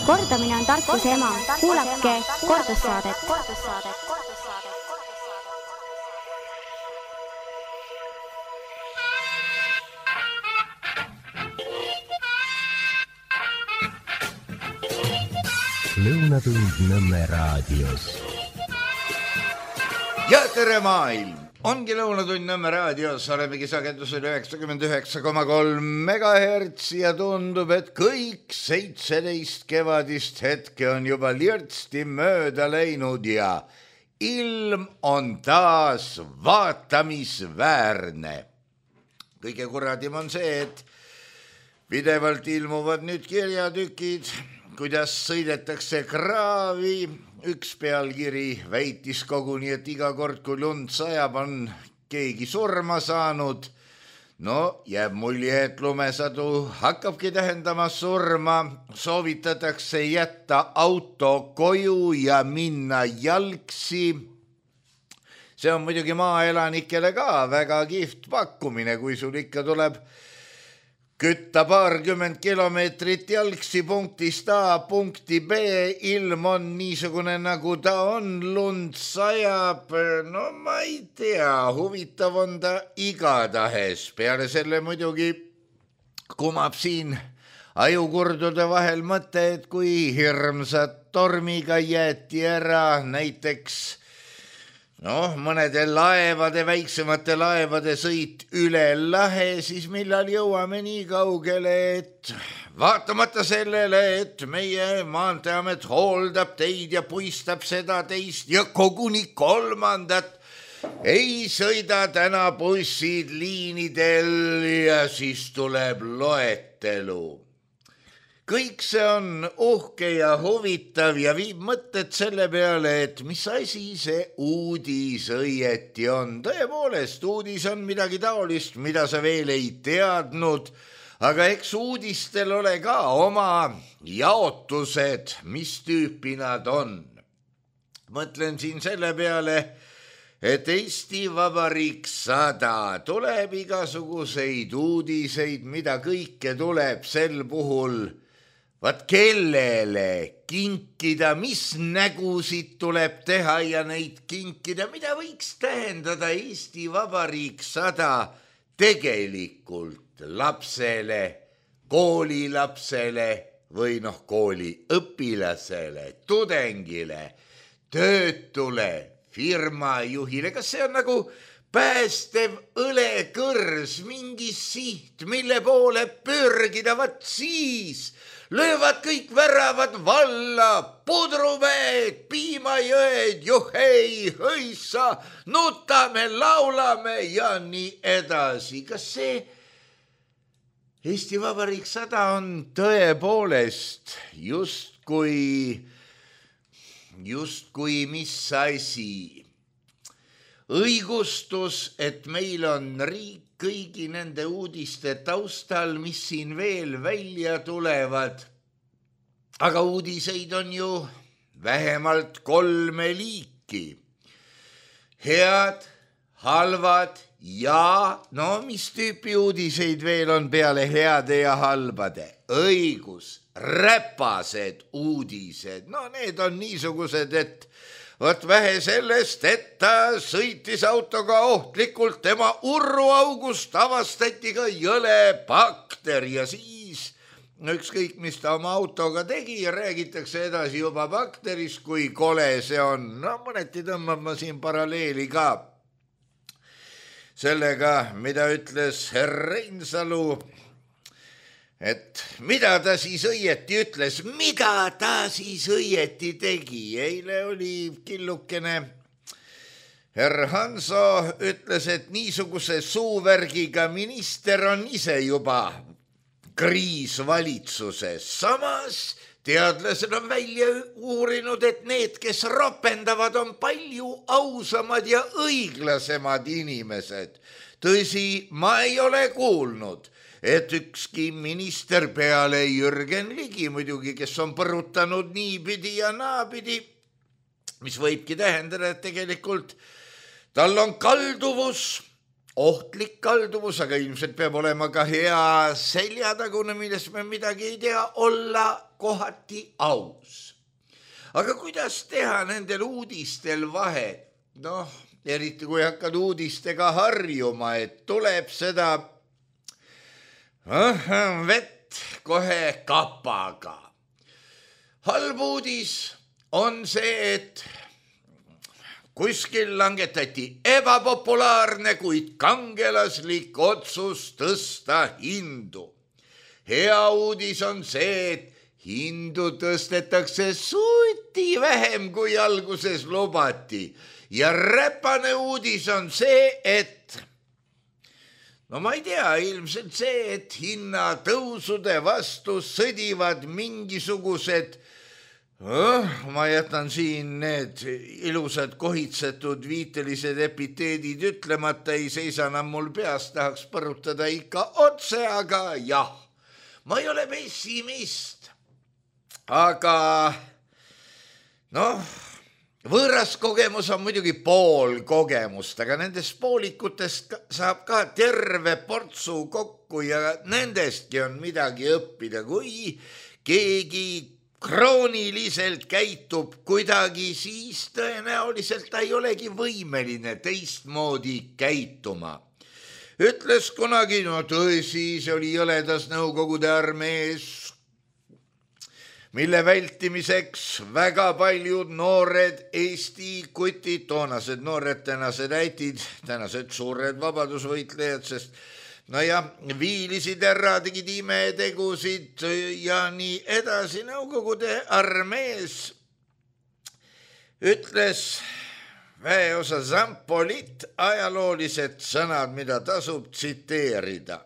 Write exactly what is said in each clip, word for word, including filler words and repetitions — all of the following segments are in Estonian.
Kordamine on tarkuse ema. Kuulake kordussaadet. Lõunatund Nõmme raadios. Ja tere maailm! Ongi Lõunatund Nõmme raadios, olemegi sagedusel üheksakümmend üheksa koma kolm megahertsi ja tundub, et kõik seitseteist kevadist hetke on juba lirtsti mööda läinud ja ilm on taas vaatamisväärne. Kõige kuradim on see, et pidevalt ilmuvad nüüd kirjatükid, kuidas sõidetakse kraavi. Üks pealkiri väitis koguni, et iga kord, kui lund sajab, on keegi surma saanud. No, jääb mulje, et lumesadu hakkabki tähendama surma. Soovitatakse jätta auto koju ja minna jalgsi. See on muidugi maaelanikele ka väga kihvt pakkumine, kui sul ikka tuleb kütta paarkümmend kilomeetrit jalgsi punktist A punkti B, ilm on niisugune nagu ta on, lund sajab, no ma ei tea, huvitav on ta igatahes. Peale selle muidugi kumab siin ajukurdude vahel mõte, et kui hirmsad tormiga jäeti ära näiteks noh, mõnede laevade, väiksemate laevade sõit üle lahe, siis millal jõuame nii kaugele, et vaatamata sellele, et meie maanteeamet hooldab teid ja puistab seda teist ja koguni kolmandat, ei sõida täna bussid liinidel ja siis tuleb loetelu. Kõik see on uhke ja huvitav ja viib mõtted selle peale, et mis asi see uudis õieti on. Tõepoolest, uudis on midagi taolist, mida sa veel ei teadnud, aga eks uudistel ole ka oma jaotused, mis tüüpi nad on. Mõtlen siin selle peale, et Eesti Vabariik sada tuleb igasuguseid uudiseid, mida kõike tuleb sel puhul vaat kellele kinkida, mis nägusid tuleb teha ja neid kinkida, mida võiks tähendada Eesti Vabariik sada tegelikult lapsele, koolilapsele või noh, kooliõpilasele, tudengile, töötule, firmajuhile. Kas see on nagu päästev õlekõrs, mingi siht, mille poole pürgida, vat siis löövad kõik väravad valla, pudruveed, piimajõed, juhei, hõissa, nutame, laulame ja nii edasi. Kas see Eesti Vabariik sada on tõepoolest justkui, justkui mis asi? Õigustus, et meil on riik kõigi nende uudiste taustal, mis siin veel välja tulevad. Aga uudiseid on ju vähemalt kolme liiki. Head, halvad ja no mis tüüpi uudiseid veel on peale heade ja halbade? Õigus, räpased uudised. No need on niisugused, et Vot vähe sellest, et ta sõitis autoga ohtlikult, tema urruaugust avastati ka jõle bakter ja siis ükskõik, mis ta oma autoga tegi ja räägitakse edasi juba bakterist, kui kole see on. No mõneti tõmbab ma siin paralleeli ka sellega, mida ütles herr Reinsalu, et mida ta siis õieti ütles, mida ta siis õieti tegi. Eile oli killukene herr Hanso ütles, et niisuguse suuvärgiga minister on ise juba kriis valitsuses. Samas teadlased on välja uurinud, et need, kes ropendavad, on palju ausamad ja õiglasemad inimesed. Tõsi, ma ei ole kuulnud, et ükski minister peale Jürgen Ligi muidugi, kes on põrutanud niipidi ja naapidi, mis võibki tähendada, et tegelikult tal on kalduvus ohtlik kalduvus, aga ilmselt peab olema ka hea seljatagune, millest me midagi ei tea, olla kohati aus. Aga kuidas teha nendel uudistel vahet? Noh, eriti kui hakkad uudistega harjuma, et tuleb seda oh, vett kohe kapaga. Halb uudis on see, et kuskil langetati ebapopulaarne, kuid kangelaslik otsus tõsta hindu. Hea uudis on see, et hindu tõstetakse suti vähem, kui alguses lubati. Ja räpane uudis on see, et no ma ei tea, ilmselt see, et hinnatõusude vastu sõdivad mingisugused Oh, ma jätan siin need ilusad kohitsetud viitelised epiteedid ütlemata, ei seisa enam mul peas, tahaks põrutada ikka otse, aga jah, ma ei ole pessimist. Aga noh, võõras kogemus on muidugi pool kogemust, aga nendest poolikutest saab ka terve portsu kokku ja nendestki on midagi õppida, kui keegi krooniliselt käitub kuidagi, siis tõenäoliselt ta ei olegi võimeline teistmoodi käituma. Ütles kunagi, no tõsi, see oli jõledas Nõukogude armees, mille vältimiseks väga paljud noored Eesti kutid, toonased noored, tänased äitid, tänased suured vabadusvõitlejad, sest no ja viilisid ära, tegid imetegusid ja nii edasi. Nõukogude armees ütles väeosa Zampolit ajaloolised sõnad, mida tasub tsiteerida.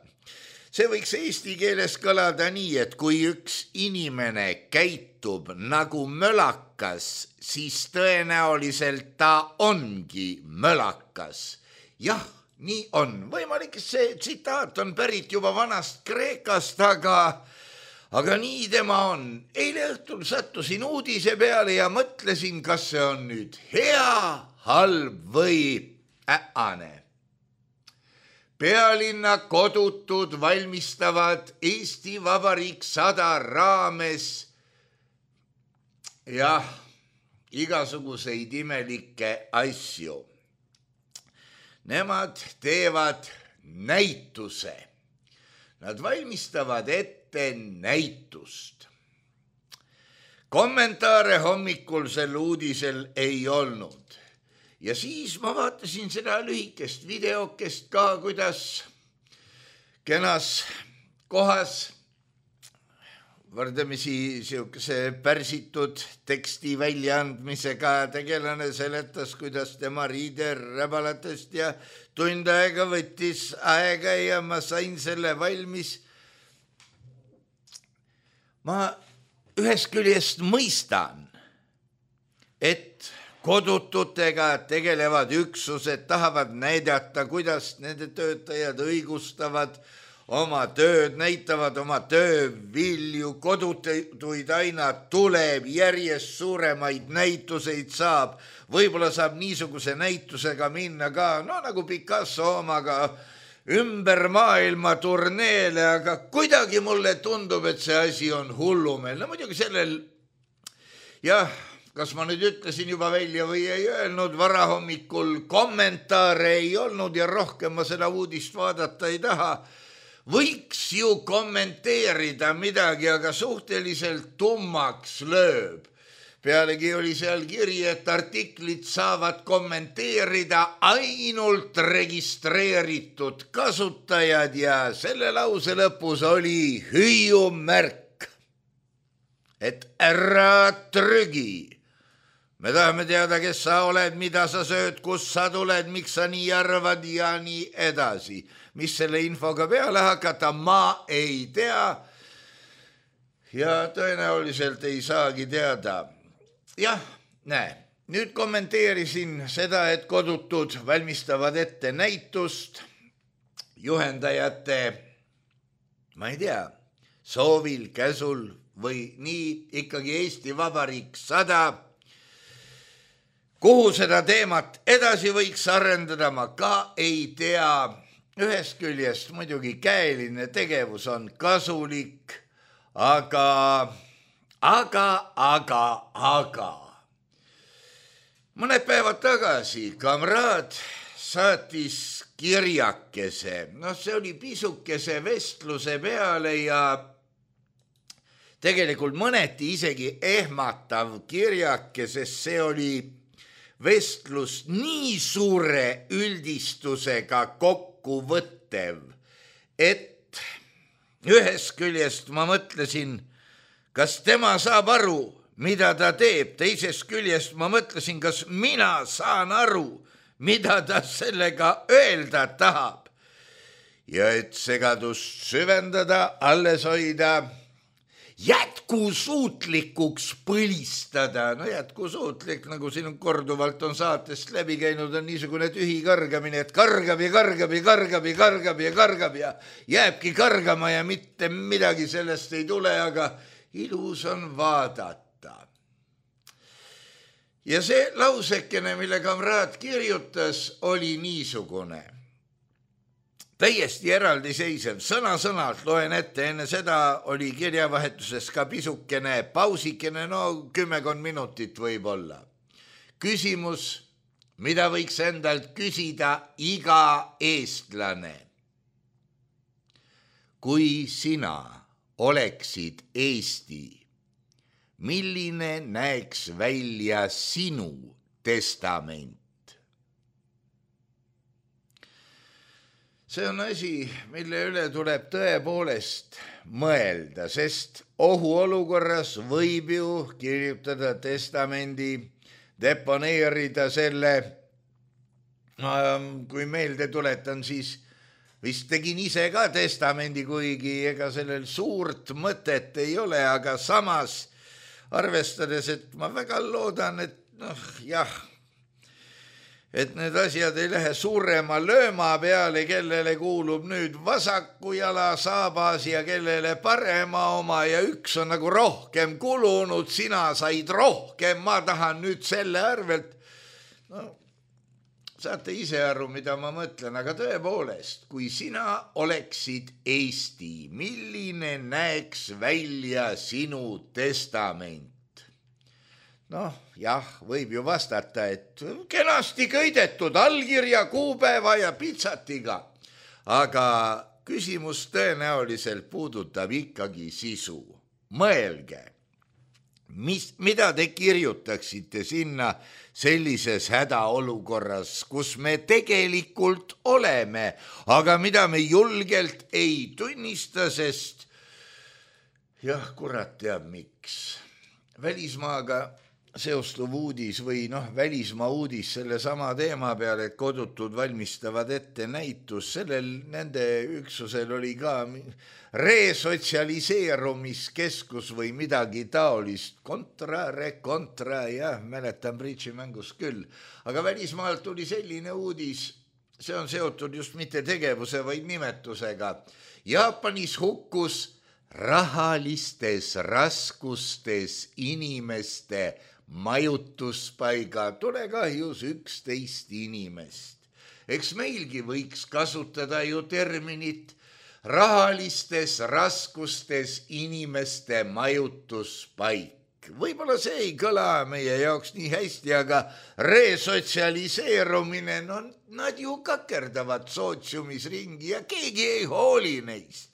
See võiks eesti keeles kõlada nii, et kui üks inimene käitub nagu mölakas, siis tõenäoliselt ta ongi mölakas. Jah, nii on. Võimalik, see tsitaat on pärit juba vanast Kreekast, aga, aga nii tema on. Eile õhtul sattusin uudise peale ja mõtlesin, kas see on nüüd hea, halb või äane. Pealinna kodutud valmistavad Eesti Vabariik sada raames jah, igasuguseid imelikke asju. Nemad teevad näituse. Nad valmistavad ette näitust. Kommentaare hommikul sel uudisel ei olnud. Ja siis ma vaatasin seda lühikest videokest ka, kuidas kenas kohas võrdlemisi siukese pärsitud teksti väljaandmisega tegelane seletas, kuidas tema riide räbalatest ja tund aega võttis aega ja ma sain selle valmis. Ma ühest küljest mõistan, et kodututega tegelevad üksused tahavad näidata, kuidas nende töötajad õigustavad oma tööd, näitavad oma töövilju, kodutuid aina tuleb, järjest suuremaid näituseid saab. Võib-olla saab niisuguse näitusega minna ka, no nagu Picasso omaga ümber maailma turneele, aga kuidagi mulle tundub, et see asi on hullumeel. No muidugi sellel, jah, kas ma nüüd ütlesin juba välja või ei öelnud, varahommikul kommentaare ei olnud ja rohkem ma seda uudist vaadata ei taha. Võiks ju kommenteerida midagi, aga suhteliselt tummaks lööb. Pealegi oli seal kiri, et artiklit saavad kommenteerida ainult registreeritud kasutajad ja selle lause lõpus oli hüüumärk, et ära trügi. Me tahame teada, kes sa oled, mida sa sööd, kus sa tuled, miks sa nii arvad ja nii edasi. Mis selle infoga peale hakata, ma ei tea ja tõenäoliselt ei saagi teada. Jah, näe, nüüd kommenteerisin seda, et kodutud valmistavad ette näitust juhendajate, ma ei tea, soovil, käsul või nii ikkagi Eesti Vabariik sada kuhu seda teemat edasi võiks arendada, ma ka ei tea. Ühest küljest muidugi käeline tegevus on kasulik, aga, aga, aga, aga. Mõned päevad tagasi kamraad saatis kirjakese. No see oli pisukese vestluse peale ja tegelikult mõneti isegi ehmatav kirjake, sest see oli vestlus nii suure üldistusega kokku võttev, et ühest küljest ma mõtlesin, kas tema saab aru, mida ta teeb, teisest küljest ma mõtlesin, kas mina saan aru, mida ta sellega öelda tahab. Ja et segadust süvendada, alles hoida, jätkusuutlikuks põlistada. No jätkusuutlik, nagu siin korduvalt on saatest läbi käinud, on niisugune tühi kargamine, et kargab ja kargab ja kargab ja kargab ja kargab ja jääbki kargama ja mitte midagi sellest ei tule, aga ilus on vaadata. Ja see lausekene, mille kamraad kirjutas, oli niisugune. Täiesti eraldiseisev, sõna-sõnalt loen ette, enne seda oli kirjavahetuses ka pisukene pausikene, no kümmekond minutit võib olla. Küsimus, mida võiks endalt küsida iga eestlane. Kui sina oleksid Eesti, milline näeks välja sinu testament? See on asi, mille üle tuleb tõepoolest mõelda, sest ohuolukorras võib ju kirjutada testamendi, deponeerida selle. Kui meelde tuletan, siis vist tegin ise ka testamendi, kuigi ega sellel suurt mõtet ei ole, aga samas arvestades, et ma väga loodan, et noh, jah, et need asjad ei lähe suurema lööma peale, kellele kuulub nüüd vasaku jala saabas ja kellele parema oma ja üks on nagu rohkem kulunud, sina said rohkem, ma tahan nüüd selle arvelt. No, saate ise aru, mida ma mõtlen, aga tõepoolest, kui sina oleksid Eesti, milline näeks välja sinu testament? Noh, jah, võib ju vastata, et kenasti köidetud allkirja, kuupäeva ja pitsatiga. Aga küsimus tõenäoliselt puudutab ikkagi sisu. Mõelge, mis, mida te kirjutaksite sinna sellises hädaolukorras, kus me tegelikult oleme, aga mida me julgelt ei tunnista, sest jah, kurat teab miks. Välismaaga seostuv uudis või noh, välismaa uudis selle sama teema peale, et kodutud valmistavad ette näitus, sellel nende üksusel oli ka resotsialiseerumiskeskus või midagi taolist, kontra, rekontra, jah, mäletan bridžimängus küll, aga välismaalt tuli selline uudis, see on seotud just mitte tegevuse, vaid nimetusega. Jaapanis hukkus rahalistes raskustes inimeste majutuspaiga tulekahjus üksteist inimest. Eks meilgi võiks kasutada ju terminit rahalistes raskustes inimeste majutuspaik. Võib-olla see ei kõla meie jaoks nii hästi, aga resotsialiseerumine, no nad ju kakerdavad sootsiumis ringi ja keegi ei hooli neist.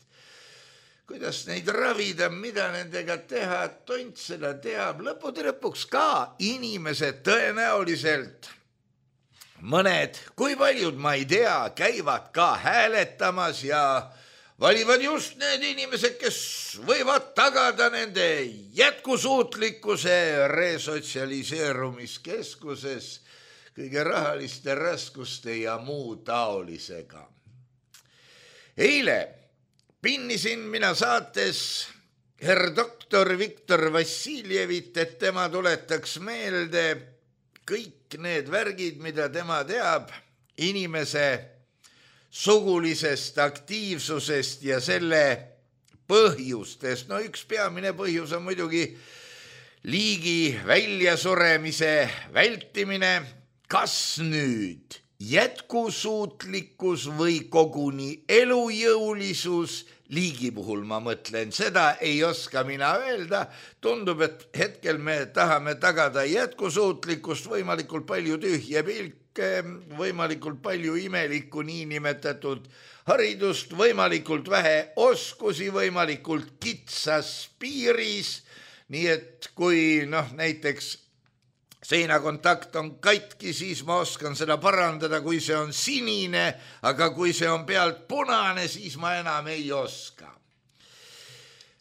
Kuidas neid ravida, mida nendega teha, tont seda teab. Lõppude lõpuks ka inimesed tõenäoliselt, mõned, kui paljud ma ei tea, käivad ka hääletamas ja valivad just need inimesed, kes võivad tagada nende jätkusuutlikkuse resotsialiseerumiskeskuses kõige rahaliste raskuste ja muu taolisega. Eile pinnisin mina saates herr doktor Viktor Vassiljevit, et tema tuletaks meelde kõik need värgid, mida tema teab inimese sugulisest aktiivsusest ja selle põhjustest. No üks peamine põhjus on muidugi liigi väljasuremise vältimine, kas nüüd jätkusuutlikkus või koguni elujõulisus, liigi puhul ma mõtlen, seda ei oska mina öelda. Tundub, et hetkel me tahame tagada jätkusuutlikkust, võimalikult palju tühje pilke, võimalikult palju imelikku niinimetatud haridust, võimalikult vähe oskusi, võimalikult kitsas piiris. Nii et kui noh, näiteks seinakontakt on katki, siis ma oskan seda parandada, kui see on sinine, aga kui see on pealt punane, siis ma enam ei oska.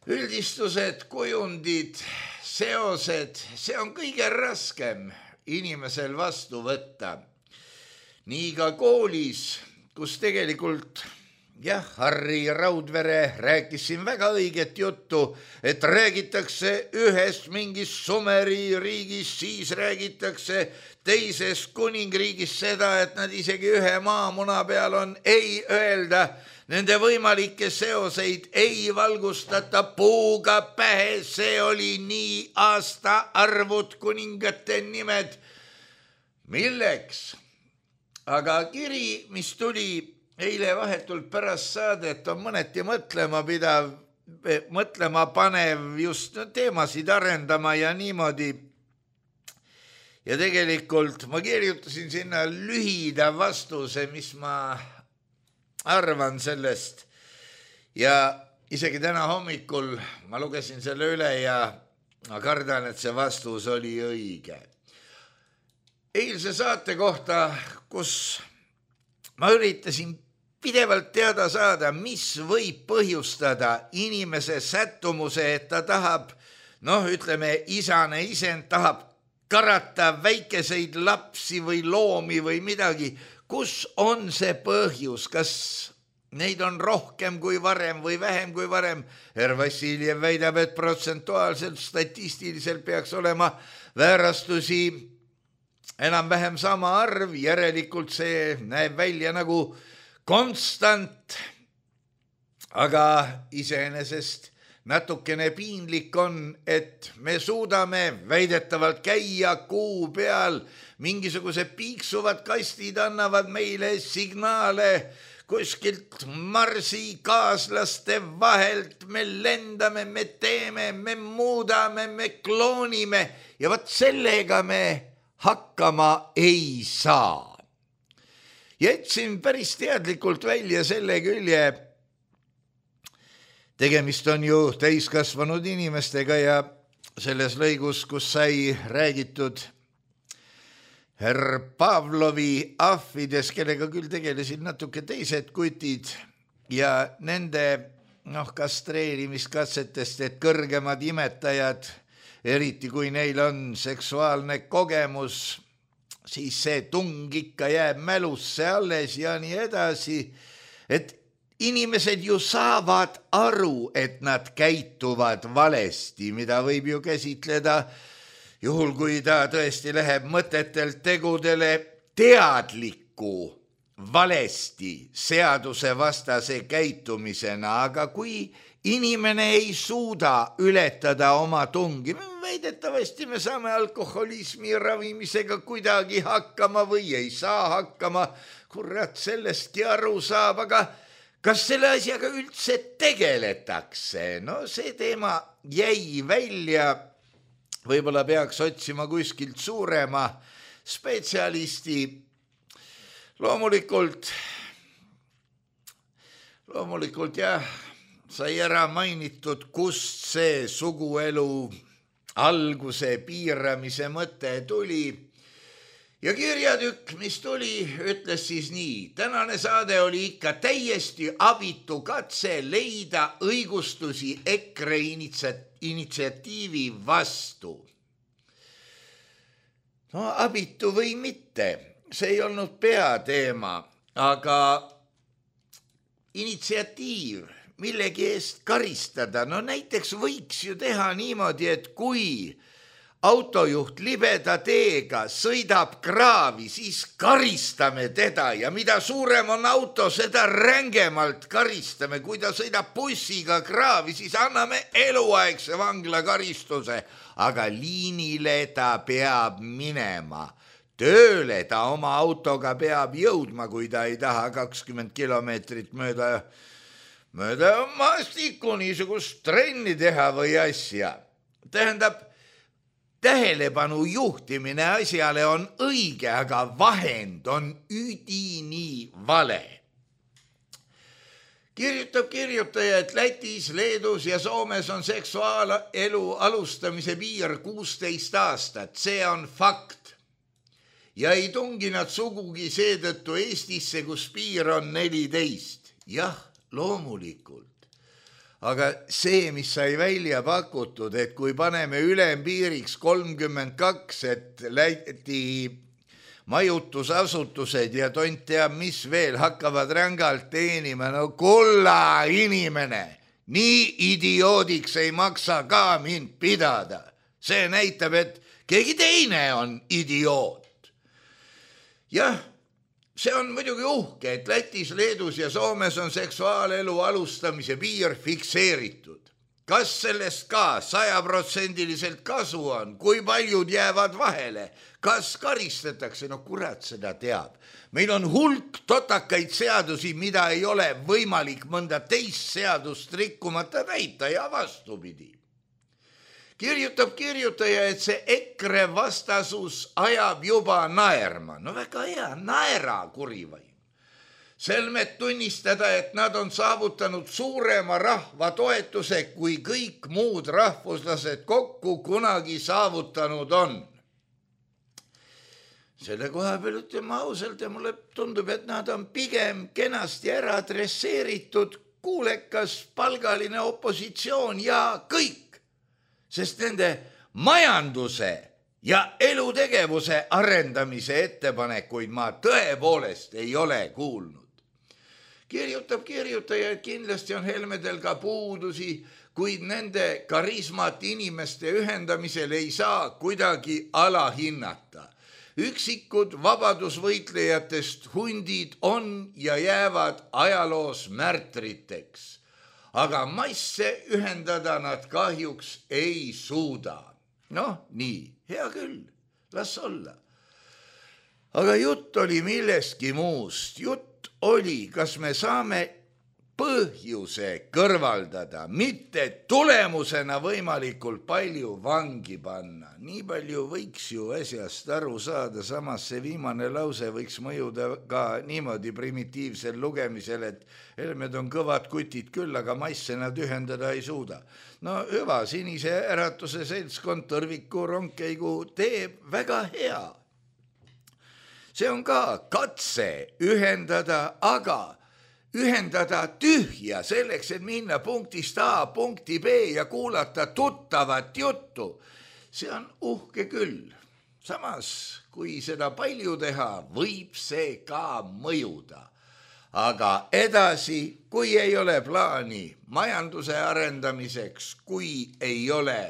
Üldistused, kujundid, seosed, see on kõige raskem inimesel vastu võtta. Nii ka koolis, kus tegelikult jah, Harri Raudvere rääkis siin väga õiget juttu, et räägitakse ühest mingist Sumeri riigist, siis räägitakse teisest kuningriigist seda, et nad isegi ühe maamuna peal on, ei öelda, nende võimalikke seoseid ei valgustata puuga pähe, see oli nii aastaarvud, kuningate nimed. Milleks? Aga kiri, mis tuli eile vahetult pärast saadet, on mõneti mõtlema pidav, mõtlema panev just teemasid arendama ja niimoodi. Ja tegelikult ma kirjutasin sinna lühida vastuse, mis ma arvan sellest. Ja isegi täna hommikul ma lugesin selle üle ja ma kardan, et see vastus oli õige. Eilse saate kohta, kus ma üritasin pidevalt teada saada, mis võib põhjustada inimese sättumuse, et ta tahab, noh, ütleme, isane isend tahab karata väikeseid lapsi või loomi või midagi. Kus on see põhjus? Kas neid on rohkem kui varem või vähem kui varem? Herr Vassiljev väidab, et protsentuaalselt, statistiliselt peaks olema väärastusi enam-vähem sama arv, järelikult see näeb välja nagu konstant, aga iseenesest natukene piinlik on, et me suudame väidetavalt käia kuu peal, mingisugused piiksuvad kastid annavad meile signaale kuskilt Marsi kaaslaste vahelt, me lendame, me teeme, me muudame, me kloonime ja võt sellega me hakkama ei saa. Jätsin päris teadlikult välja selle külje, tegemist on ju täiskasvanud inimestega ja selles lõigus, kus sai räägitud herr Pavlovi ahvides, kellega küll tegelesid natuke teised kutid ja nende noh, kastreerimiskatsetest, et kõrgemad imetajad, eriti kui neil on seksuaalne kogemus, siis see tung ikka jääb mälusse alles ja nii edasi, et inimesed ju saavad aru, et nad käituvad valesti, mida võib ju käsitleda, juhul kui ta tõesti läheb mõtetelt tegudele teadliku valesti seadusevastase käitumisena, aga kui inimene ei suuda ületada oma tungi, väidetavasti me saame alkoholismi ravimisega kuidagi hakkama või ei saa hakkama, kurat sellestki aru saab, aga kas selle asjaga üldse tegeletakse? No see teema jäi välja, võib-olla peaks otsima kuskilt suurema spetsialisti. Loomulikult, loomulikult jah, sai ära mainitud, kust see suguelu alguse piiramise mõte tuli. Ja kirjatükk, mis tuli, ütles siis nii. Tänane saade oli ikka täiesti abitu katse leida õigustusi EKRE initsiatiivi vastu. No abitu või mitte, see ei olnud peateema, aga initsiatiiv, millegi eest karistada, no näiteks võiks ju teha niimoodi, et kui autojuht libeda teega sõidab kraavi, siis karistame teda ja mida suurem on auto, seda rängemalt karistame. Kui ta sõidab bussiga kraavi, siis anname eluaegse vangla karistuse, aga liinile ta peab minema. Tööle ta oma autoga peab jõudma, kui ta ei taha kakskümmend kilomeetrit mööda, mööda maastikku niisugust trenni teha või asja. Tähendab, tähelepanu juhtimine asjale on õige, aga vahend on üdini vale. Kirjutab kirjutaja, et Lätis, Leedus ja Soomes on seksuaalelu alustamise piir kuusteist aastat. See on fakt. Ja ei tungi nad sugugi seetõttu Eestisse, kus piir on neliteist. Jah, loomulikult. Aga see, mis sai välja pakutud, et kui paneme ülempiiriks kolmkümmend kaks, et Läti majutusasutused ja tont teab, mis veel hakkavad rängalt teenima, no kulla inimene, nii idioodiks ei maksa ka mind pidada. See näitab, et keegi teine on idioot. Jah, see on muidugi uhke, et Lätis, Leedus ja Soomes on seksuaalelu alustamise piir fikseeritud. Kas sellest ka sajaprotsendiliselt kasu on? Kui paljud jäävad vahele? Kas karistatakse? No kurat seda teab. Meil on hulk totakaid seadusi, mida ei ole võimalik mõnda teist seadust rikkumata täita ja vastupidi. Kirjutab kirjutaja, et see EKRE vastasus ajab juba naerma. No väga hea, naera kurivaim. Selmet tunnistada, et nad on saavutanud suurema rahva toetuse, kui kõik muud rahvuslased kokku kunagi saavutanud on. Selle koha peal ütleme ausalt ja mulle tundub, et nad on pigem kenasti ära adresseeritud kuulekas palgaline opositsioon ja kõik. Sest nende majanduse ja elutegevuse arendamise ettepanekuid ma tõepoolest ei ole kuulnud. Kirjutab kirjutaja, et kindlasti on Helmedel ka puudusi, kuid nende karismat inimeste ühendamisel ei saa kuidagi alahinnata. Üksikud vabadusvõitlejatest hundid on ja jäävad ajaloos märtriteks. Aga masse ühendada nad kahjuks ei suuda. Noh, nii, hea küll, las olla. Aga jutt oli millestki muust. Jutt oli, kas me saame põhjuse kõrvaldada, mitte tulemusena võimalikult palju vangi panna. Nii palju võiks ju asjast aru saada, samas see viimane lause võiks mõjuda ka niimoodi primitiivsel lugemisel, et Helmed on kõvad kutid küll, aga masse nad ühendada ei suuda. No hüva, Sinise Äratuse seltskond Tõrviku rongkeigu teeb väga hea. See on ka katse ühendada, aga ühendada tühja selleks, et minna punktist A punkti B ja kuulata tuttavat juttu. See on uhke küll. Samas, kui seda palju teha, võib see ka mõjuda. Aga edasi, kui ei ole plaani majanduse arendamiseks, kui ei ole,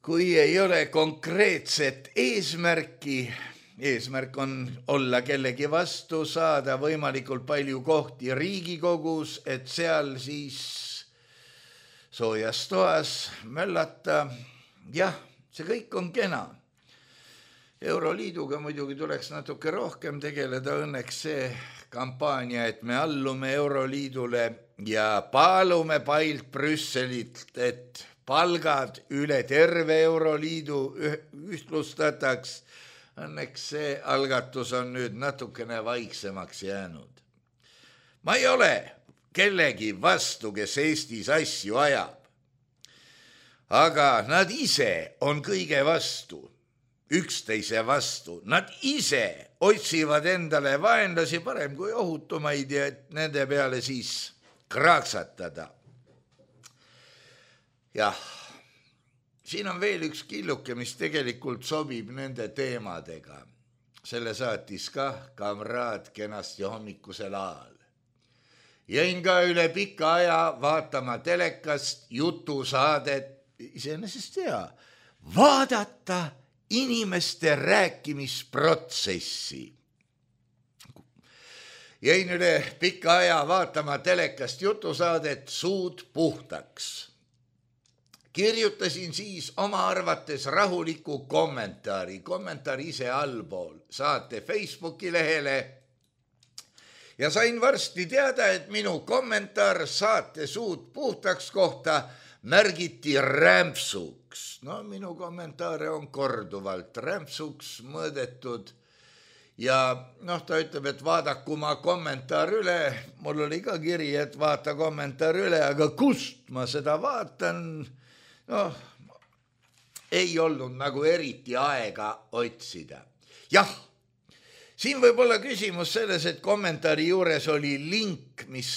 kui ei ole konkreetset eesmärki, eesmärk on olla kellegi vastu, saada võimalikult palju kohti Riigikogus, et seal siis soojas toas möllata. Jah, see kõik on kena. Euroliiduga muidugi tuleks natuke rohkem tegeleda, õnneks see kampaania, et me allume Euroliidule ja paalume pailt Brüsselit, et palgad üle terve Euroliidu ühtlustataks. Õnneks see algatus on nüüd natukene vaiksemaks jäänud. Ma ei ole kellegi vastu, kes Eestis asju ajab. Aga nad ise on kõige vastu, üksteise vastu. Nad ise otsivad endale vaenlasi parem kui ohutumaid ja nende peale siis kraaksatada. Jah. Siin on veel üks killuke, mis tegelikult sobib nende teemadega. Selle saatis ka kamraad kenasti hommikusel ajal. Jäin ka üle pika aja vaatama telekast jutusaadet, iseenesest hea, vaadata inimeste rääkimisprotsessi. Jäin üle pika aja vaatama telekast jutusaadet Suud puhtaks. Kirjutasin siis oma arvates rahuliku kommentaari, kommentaari ise allpool saate Facebooki lehele ja sain varsti teada, et minu kommentaar saate Suud puhtaks kohta märgiti rämpsuks. No minu kommentaare on korduvalt rämpsuks mõõdetud ja noh, ta ütleb, et vaadaku ma kommentaar üle. Mul oli ka kiri, et vaata kommentaar üle, aga kust ma seda vaatan? Noh, ei olnud nagu eriti aega otsida. Jah, siin võib olla küsimus selles, et kommentaari juures oli link, mis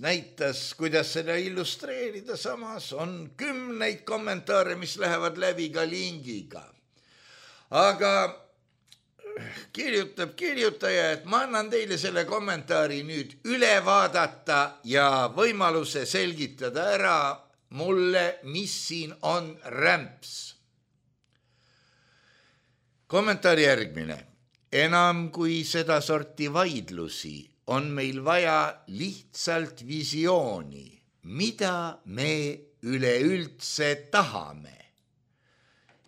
näitas, kuidas seda illustreerida. Samas on kümneid kommentaare, mis lähevad läbi ka lingiga. Aga kirjutab kirjutaja, et ma annan teile selle kommentaari nüüd üle vaadata ja võimaluse selgitada ära mulle, mis siin on rämps. Kommentaari järgmine. Enam kui seda sorti vaidlusi on meil vaja lihtsalt visiooni, mida me üleüldse tahame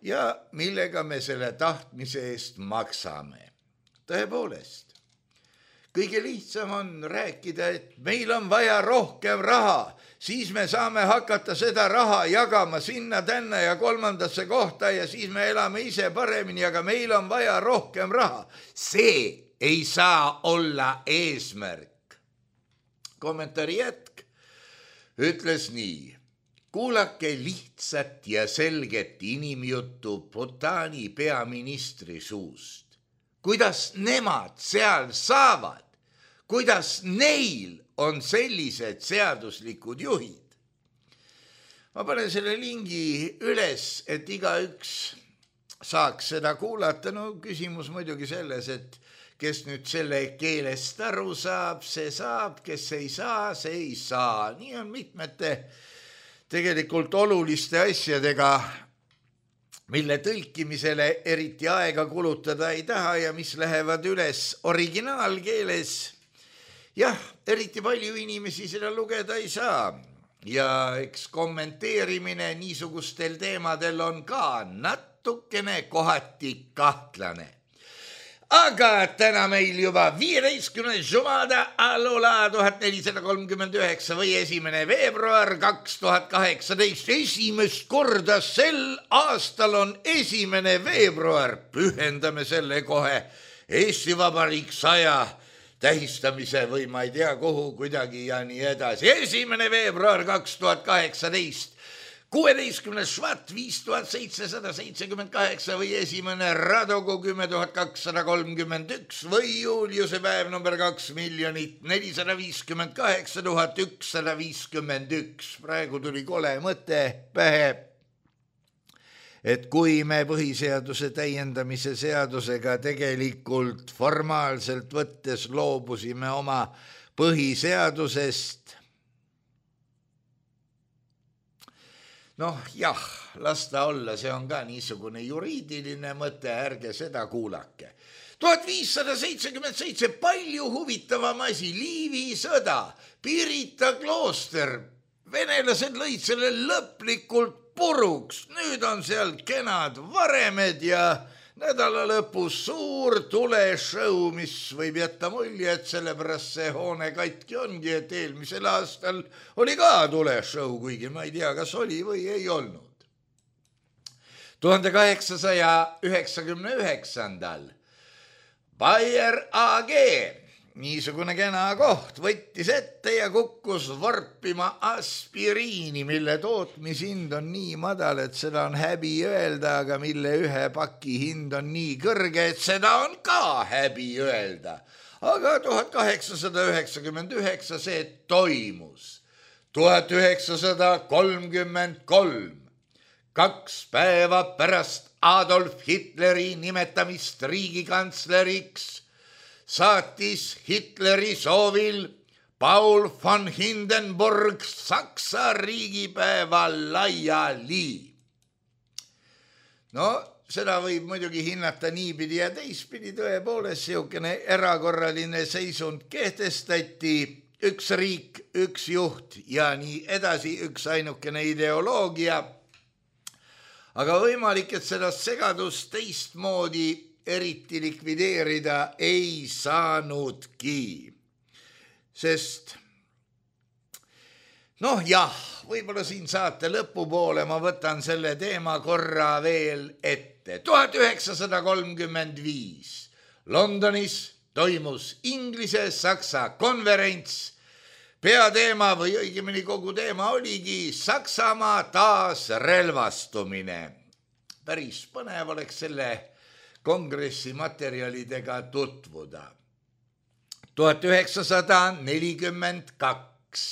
ja millega me selle tahtmise eest maksame. Tõepoolest, kõige lihtsam on rääkida, et meil on vaja rohkem raha, siis me saame hakata seda raha jagama sinna, tänna ja kolmandasse kohta ja siis me elame ise paremini, aga meil on vaja rohkem raha. See ei saa olla eesmärk. Kommentaari jätk ütles nii. Kuulake lihtsat ja selget inimjuttu Bhutani peaministri suust. Kuidas nemad seal saavad? Kuidas neil on sellised seaduslikud juhid? Ma panen selle lingi üles, et igaüks saaks seda kuulata. No küsimus muidugi selles, et kes nüüd selle keelest aru saab, see saab, kes ei saa, see ei saa. Nii on mitmete tegelikult oluliste asjadega, mille tõlkimisele eriti aega kulutada ei taha ja mis lähevad üles originaalkeeles. Jah, eriti palju inimesi seda lugeda ei saa ja eks kommenteerimine niisugustel teemadel on ka natukene kohati kahtlane. Aga täna meil juba viieteistkümnes Jumada Alola tuhat nelisada kolmkümmend üheksa või esimene veebruar kaks tuhat kaheksateist. Esimest korda sel aastal on esimene veebruar. Pühendame selle kohe Eesti Vabariik saja tähistamise või ma ei tea kuhu kuidagi ja nii edasi. Esimene veebruar kaks tuhat kaheksateist. kuueteistkümnes Švat viis tuhat seitsesada seitsekümmend kaheksa või esimene Radogu kümme tuhat kakssada kolmkümmend üks või Juliuse päev number kaks miljonit nelisada viiskümmend kaheksa tuhat ükssada viiskümmend üks. Praegu tuli kole mõte pähe, et kui me põhiseaduse täiendamise seadusega tegelikult formaalselt võttes loobusime oma põhiseadusest, noh jah, las ta olla, see on ka niisugune juriidiline mõte, ärge seda kuulake. tuhat viissada seitsekümmend seitse, palju huvitavam asi, Liivi sõda, Pirita klooster, venelased lõid selle lõplikult puruks, nüüd on seal kenad varemed ja nädala lõpus suur tuleshow, mis võib jätta mulje, et sellepärast see hoone katki ongi, et eelmisel aastal oli ka tuleshow, kuigi ma ei tea, kas oli või ei olnud. tuhande kaheksasaja üheksakümne üheksandal Bayer A G, niisugune kena koht, võttis ette ja kukkus vorpima aspiriini, mille tootmishind on nii madal, et seda on häbi öelda, aga mille ühe paki hind on nii kõrge, et seda on ka häbi öelda. Aga tuhat kaheksasada üheksakümmend üheksa see toimus. tuhat üheksasada kolmkümmend kolm, kaks päeva pärast Adolf Hitleri nimetamist riigikantsleriks, saatis Hitleri soovil Paul von Hindenburg Saksa riigipäeva laiali. no seda võib muidugi hinnata niipidi ja teistpidi, tõepoolest siukene erakorraline seisund kehtestati, üks riik, üks juht ja nii edasi, üks ainukene ideoloogia. Aga võimalik, et seda segadust teistmoodi eriti likvideerida ei saanudki, sest noh jah, võib-olla siin saate lõpupoole ma võtan selle teema korra veel ette. tuhat üheksasada kolmkümmend viis Londonis toimus Inglise-Saksa konverents. Peateema või õigemini kogu teema oligi Saksamaa taasrelvastumine. Päris põnev oleks selle kongressi materjalidega tutvuda. tuhat üheksasada nelikümmend kaks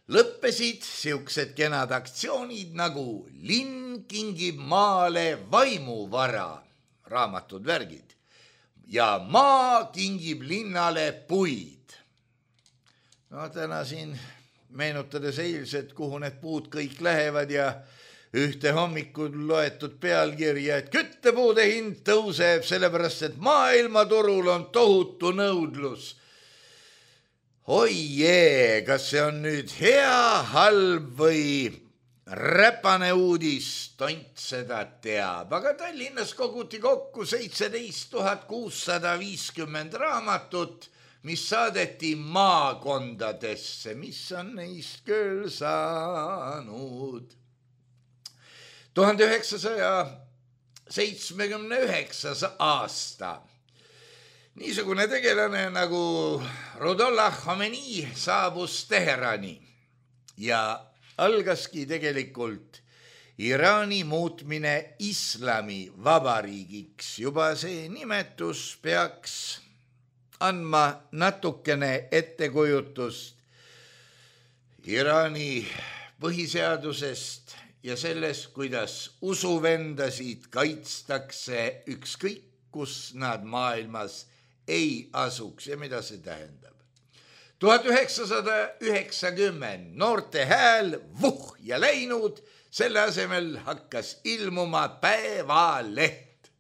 lõppesid siuksed kenad aktsioonid nagu Linn kingib maale vaimuvara, raamatud, värgid, ja maa kingib linnale puid. No täna siin meenutades eilset, kuhu need puud kõik lähevad ja ühte hommikul loetud pealkirja, et küttepuude hind tõuseb sellepärast, et maailmaturul on tohutu nõudlus. Oi jee, kas see on nüüd hea, halb või räpane uudis, tont seda teab. Aga Tallinnas koguti kokku seitseteist tuhat kuussada viiskümmend raamatut, mis saadeti maakondadesse, mis on neist küll saanud. tuhande üheksasaja seitsmekümne üheksas aasta. Niisugune tegelane nagu Rudollah Khomeini saabus Teherani ja algaski tegelikult Iraani muutmine islami vabariigiks. Juba see nimetus peaks andma natukene ettekujutust Iraani põhiseadusest ja sellest, kuidas usuvendasid kaitstakse ükskõik, kus nad maailmas ei asuks ja mida see tähendab. tuhat üheksasada üheksakümmend noorte hääl vuh ja läinud, selle asemel hakkas ilmuma Päevaleht.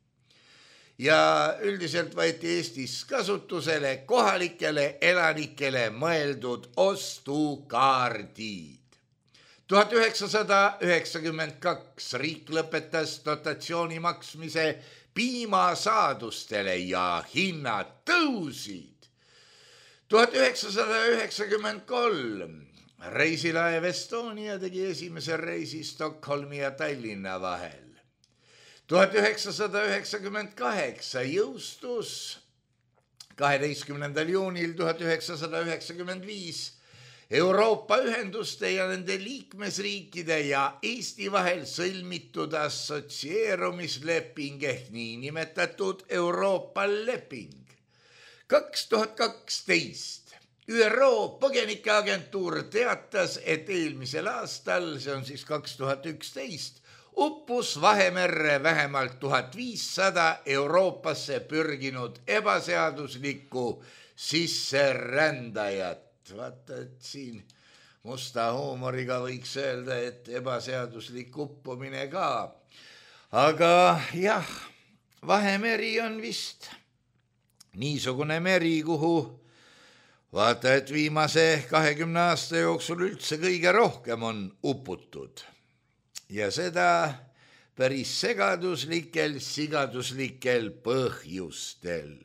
Ja üldiselt võeti Eestis kasutusele kohalikele elanikele mõeldud ostukaardid. tuhat üheksasada üheksakümmend kaks riik lõpetas dotatsiooni maksmise piimasaadustele ja hinnad tõusid. tuhat üheksasada üheksakümmend kolm reisilaev Estonia tegi esimese reisi Stockholmi ja Tallinna vahel. tuhat üheksasada üheksakümmend kaheksa jõustus kaheteistkümnendal juunil tuhat üheksasada üheksakümmend viis Euroopa ühenduste ja nende liikmesriikide ja Eesti vahel sõlmitud assotsieerumisleping ehk niinimetatud Euroopa leping. kaks tuhat kaksteist ÜRO põgenikeagentuur teatas, et eelmisel aastal, see on siis kaks tuhat üksteist, uppus Vahemerre vähemalt tuhat viissada Euroopasse pürginud ebaseaduslikku sisserändajat. Vaata, et siin musta huumoriga võiks öelda, et ebaseaduslik uppumine ka. Aga jah, Vahemeri on vist niisugune meri, kuhu vaata, et viimase kahekümne aasta jooksul üldse kõige rohkem on uputud. Ja seda päris segaduslikel, sigaduslikel põhjustel.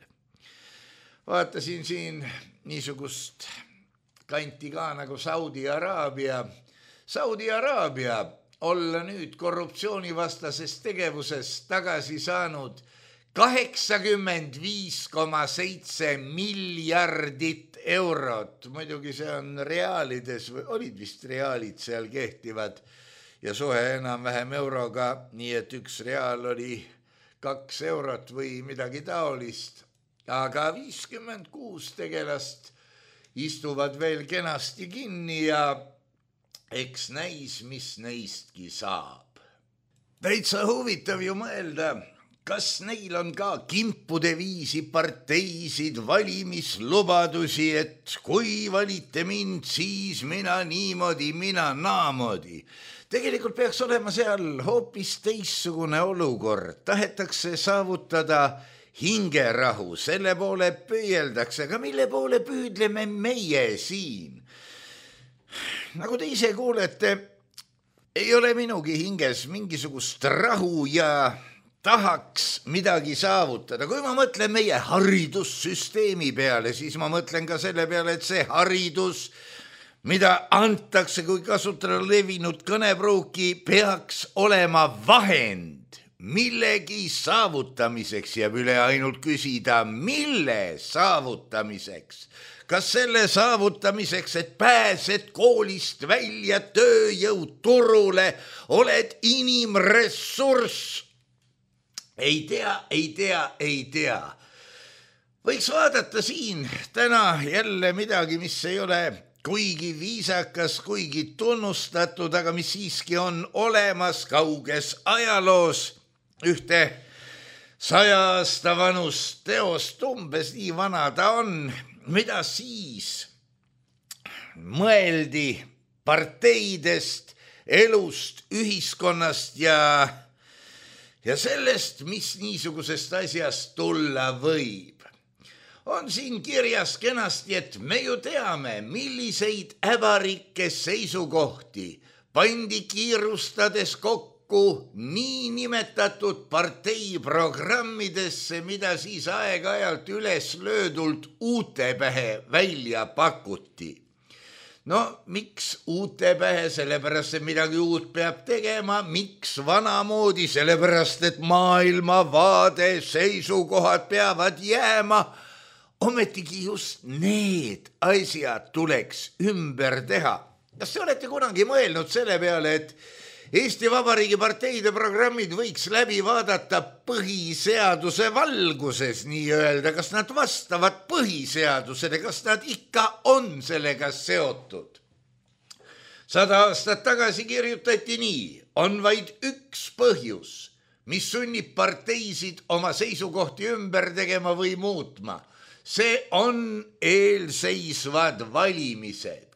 Vaatasin siin niisugust kanti ka nagu Saudi Araabia. Saudi Araabia olla nüüd korruptsioonivastases tegevuses tagasi saanud kaheksakümmend viis koma seitse miljardit eurot. Muidugi see on reaalides, olid vist reaalid seal kehtivad ja suhe enam-vähem euroga, nii et üks reaal oli kaks eurot või midagi taolist. Aga viiskümmend kuus tegelast istuvad veel kenasti kinni ja eks näis, mis neistki saab. Täitsa huvitav ju mõelda, kas neil on ka kimpude viisi parteisid valimislubadusi, et kui valite mind, siis mina niimoodi, mina naamoodi. Tegelikult peaks olema seal hoopis teissugune olukord. Tahetakse saavutada hingerahu, selle poole püüeldakse, aga mille poole püüdleme meie siin? Nagu te ise kuulete, ei ole minugi hinges mingisugust rahu ja tahaks midagi saavutada. Kui ma mõtlen meie haridussüsteemi peale, siis ma mõtlen ka selle peale, et see haridus, mida antakse, kui kasutada levinud kõnepruuki, peaks olema vahend millegi saavutamiseks. Jääb üle ainult küsida, mille saavutamiseks? Kas selle saavutamiseks, et pääsed koolist välja, tööjõud turule, oled inimressurss? Ei tea, ei tea, ei tea. Võiks vaadata siin täna jälle midagi, mis ei ole kuigi viisakas, kuigi tunnustatud, aga mis siiski on olemas kauges ajaloos. Ühte saja aasta vanust teost, umbes nii vana ta on, mida siis mõeldi parteidest, elust, ühiskonnast ja Ja sellest, mis niisugusest asjast tulla võib. On siin kirjas kenasti, et me ju teame, milliseid äbarikke seisukohti pandi kiirustades kokku nii nimetatud parteiprogrammidesse, mida siis aeg-ajalt üles löödult uute pähe välja pakuti. No, miks uute pähe? Sellepärast, et midagi uut peab tegema. Miks vanamoodi? Sellepärast, et maailmavaade, seisukohad peavad jääma. Ometigi just need asjad tuleks ümber teha. Kas te olete kunagi mõelnud selle peale, et Eesti Vabariigi parteide programmid võiks läbi vaadata põhiseaduse valguses, nii öelda, kas nad vastavad põhiseadusele, kas nad ikka on sellega seotud. Sada aastat tagasi kirjutati nii, on vaid üks põhjus, mis sunnib parteisid oma seisukohti ümber tegema või muutma. See on eelseisvad valimised.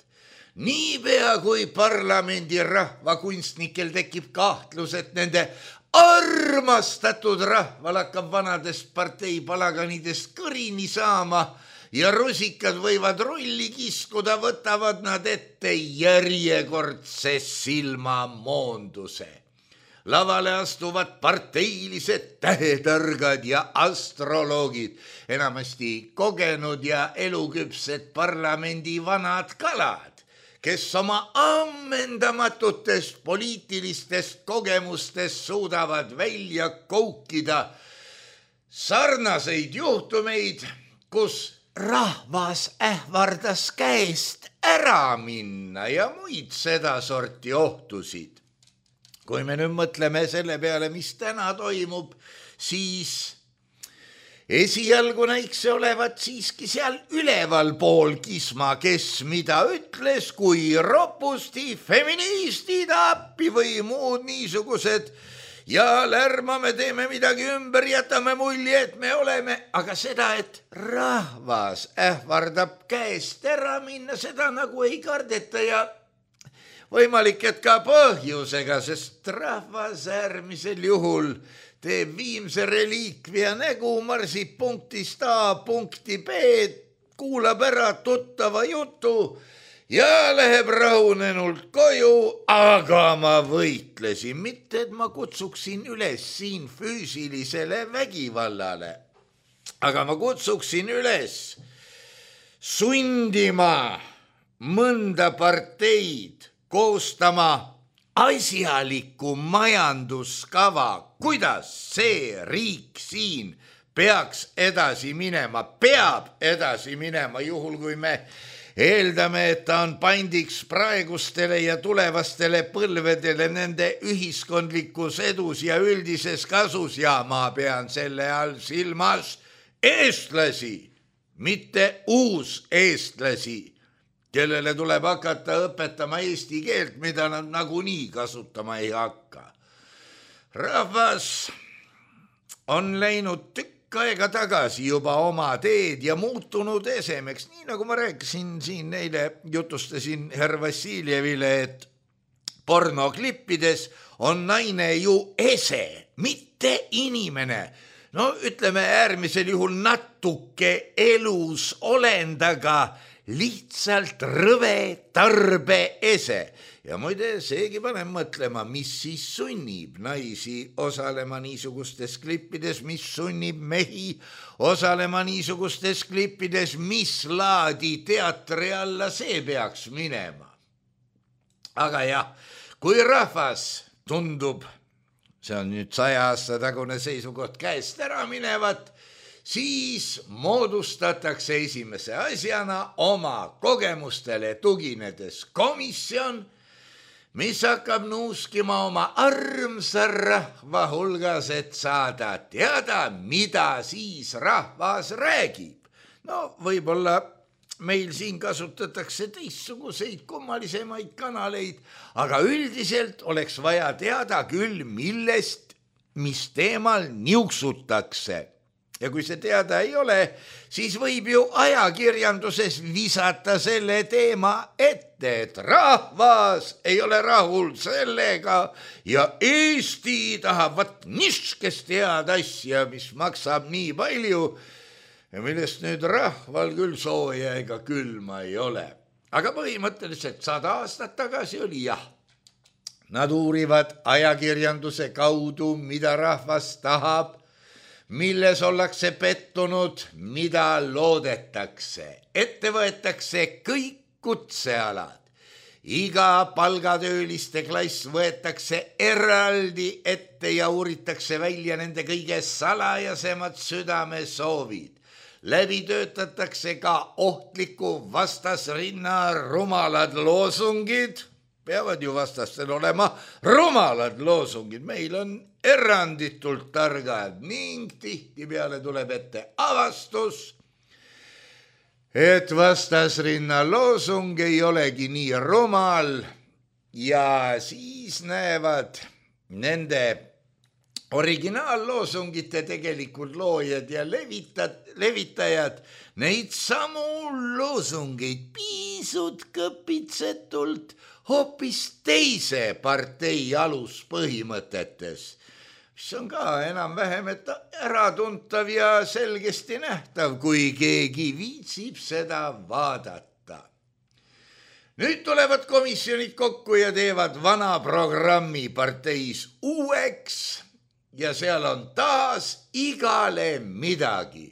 Niipea kui parlamendi rahvakunstnikel tekib kahtlus, et nende armastatud rahval hakkab vanadest parteipalaganidest kõrini saama ja rusikad võivad rulli kiskuda, võtavad nad ette järjekordse silmamoonduse. Lavale astuvad parteilised tähetargad ja astroloogid, enamasti kogenud ja eluküpsed parlamendi vanad kalad, kes oma ammendamatutest poliitilistest kogemustest suudavad välja koukida sarnaseid juhtumeid, kus rahvas ähvardas käest ära minna ja muid sedasorti ohtusid. Kui me nüüd mõtleme selle peale, mis täna toimub, siis esialgu näiks see olevat siiski seal üleval pool kisma, kes mida ütles, kui ropusti, feministid, appi või muud niisugused ja lärmame, teeme midagi ümber, jätame mulje, et me oleme, aga seda, et rahvas ähvardab käest ära minna, seda nagu ei kardeta ja võimalik, et ka põhjusega, sest rahvas äärmisel juhul teeb viimse reliikvia nägu, marsib punktist A punkti B, kuulab ära tuttava jutu ja läheb rahunenult koju, aga ma võitlesin, mitte et ma kutsuksin üles siin füüsilisele vägivallale, aga ma kutsuksin üles sundima mõnda parteid koostama asjaliku majanduskava, kuidas see riik siin peaks edasi minema, peab edasi minema, juhul kui me eeldame, et ta on pandiks praegustele ja tulevastele põlvedele nende ühiskondlikus edus ja üldises kasus ja ma pean selle all silmas eestlasi, mitte uus eestlasi, kellele tuleb hakata õpetama eesti keelt, mida nad nagunii kasutama ei hakka. Rahvas on läinud tükk aega tagasi juba oma teed ja muutunud esemeks, nii nagu ma rääkisin siin neile, jutustasin härra Vassiljevile, et pornoklippides on naine ju ese, mitte inimene. No ütleme äärmisel juhul natuke elus olendaga, lihtsalt rõve tarbe ese. Ja muide, seegi panen mõtlema, mis siis sunnib naisi osalema niisugustes klippides, mis sunnib mehi osalema niisugustes klippides, mis laadi teatri alla see peaks minema. Aga jah, kui rahvas tundub, see on nüüd saja aasta tagune seisukoht, käest ära minevat, siis moodustatakse esimese asjana oma kogemustele tuginedes komisjon, mis hakkab nuuskima oma armsa rahva hulgas, et saada teada, mida siis rahvas räägib. No võib-olla meil siin kasutatakse teistsuguseid kummalisemaid kanaleid, aga üldiselt oleks vaja teada küll, millest, mis teemal niuksutakse. Ja kui see teada ei ole, siis võib ju ajakirjanduses visata selle teema ette, et rahvas ei ole rahul sellega ja Eesti tahab vat niskest head asja, mis maksab nii palju, ja millest nüüd rahval küll sooja ega külma ei ole. Aga põhimõtteliselt sada aastat tagasi oli jah. Nad uurivad ajakirjanduse kaudu, mida rahvas tahab, milles ollakse pettunud, mida loodetakse. Ette võetakse kõik kutsealad. Iga palgatööliste klass võetakse eraldi ette ja uuritakse välja nende kõige salajasemad südamesoovid. Läbi töötatakse ka ohtliku vastasrinna rumalad loosungid. Peavad ju vastastel olema rumalad loosungid. Meil on eranditult targad ning tihtipeale tuleb ette avastus, et vastasrinna loosung ei olegi nii rumal ja siis näevad nende originaalloosungite tegelikult loojad ja levitad, levitajad neid samu loosungeid pisut kõpitsetult hoopis teise partei aluspõhimõtetes, mis on ka enam-vähem äratuntav ja selgesti nähtav, kui keegi viitsib seda vaadata. Nüüd tulevad komisjonid kokku ja teevad vana programmi parteis uueks ja seal on taas igale midagi.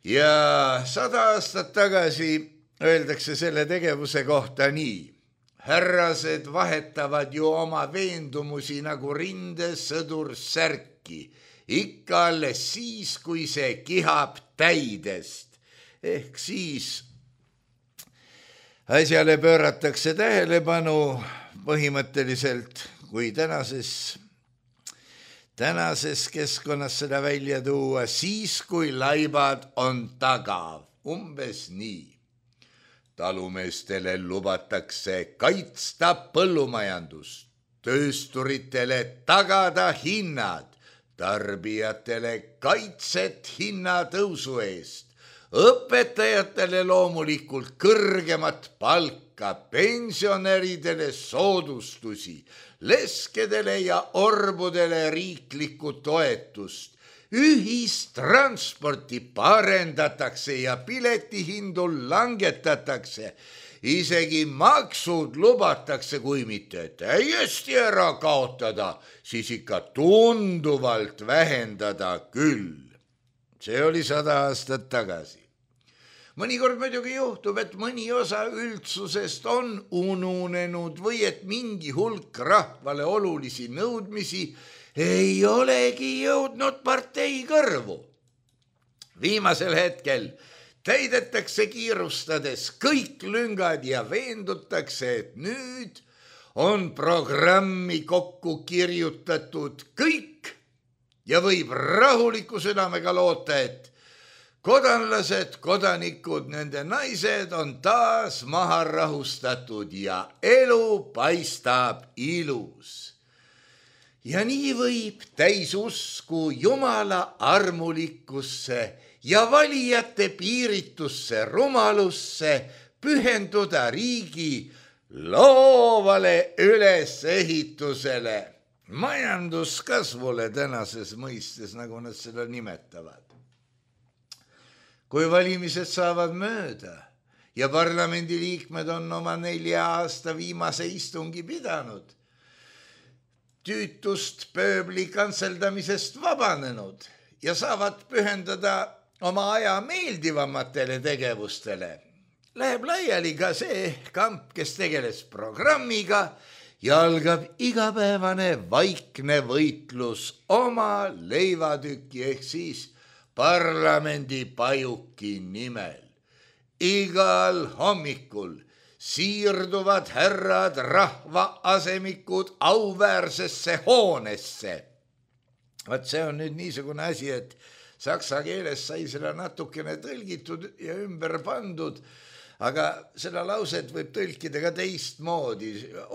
Ja sada aastat tagasi öeldakse selle tegevuse kohta nii. Härrased vahetavad ju oma veendumusi nagu rindesõdur särki, ikka alles siis, kui see kihab täidest. Ehk siis asjale pööratakse tähelepanu põhimõtteliselt, kui tänases, tänases keskkonnas seda välja tuua, siis kui laibad on tagav, umbes nii. Talumeestele lubatakse kaitsta põllumajandust, töösturitele tagada hinnad, tarbijatele kaitset hinnatõusu eest, õpetajatele loomulikult kõrgemat palka, pensionäridele soodustusi, leskedele ja orbudele riiklikku toetust, ühistransporti parendatakse ja piletihindu langetatakse, isegi maksud lubatakse, kui mitte täiesti ära kaotada, siis ikka tunduvalt vähendada küll. See oli sada aastat tagasi. Mõnikord muidugi juhtub, et mõni osa üldsusest on ununenud või et mingi hulk rahvale olulisi nõudmisi ei olegi jõudnud partei kõrvu. Viimasel hetkel täidetakse kiirustades kõik lüngad ja veendutakse, et nüüd on programmi kokku kirjutatud kõik ja võib rahuliku südamega loota, et kodanlased, kodanikud, nende naised on taas maha rahustatud ja elu paistab ilus. ja nii võib täis usku Jumala armulikkusse ja valijate piiritusse rumalusse pühenduda riigi loovale ülesehitusele, majanduskasvule tänases mõistes, nagu nad seda nimetavad. Kui valimised saavad mööda ja parlamendiliikmed on oma nelja aasta viimase istungi pidanud, tüütust pööbli kantseldamisest vabanenud ja saavad pühendada oma aja meeldivamatele tegevustele, läheb laiali ka see kamp, kes tegeles programmiga ja algab igapäevane vaikne võitlus oma leivatüki ehk siis parlamendi pajuki nimel. Igal hommikul siirduvad härrad rahvaasemikud auväärsesse hoonesse. Vaat see on nüüd niisugune asi, et saksa keeles sai seda natukene tõlgitud ja ümber pandud, aga seda lauset võib tõlkida ka teistmoodi.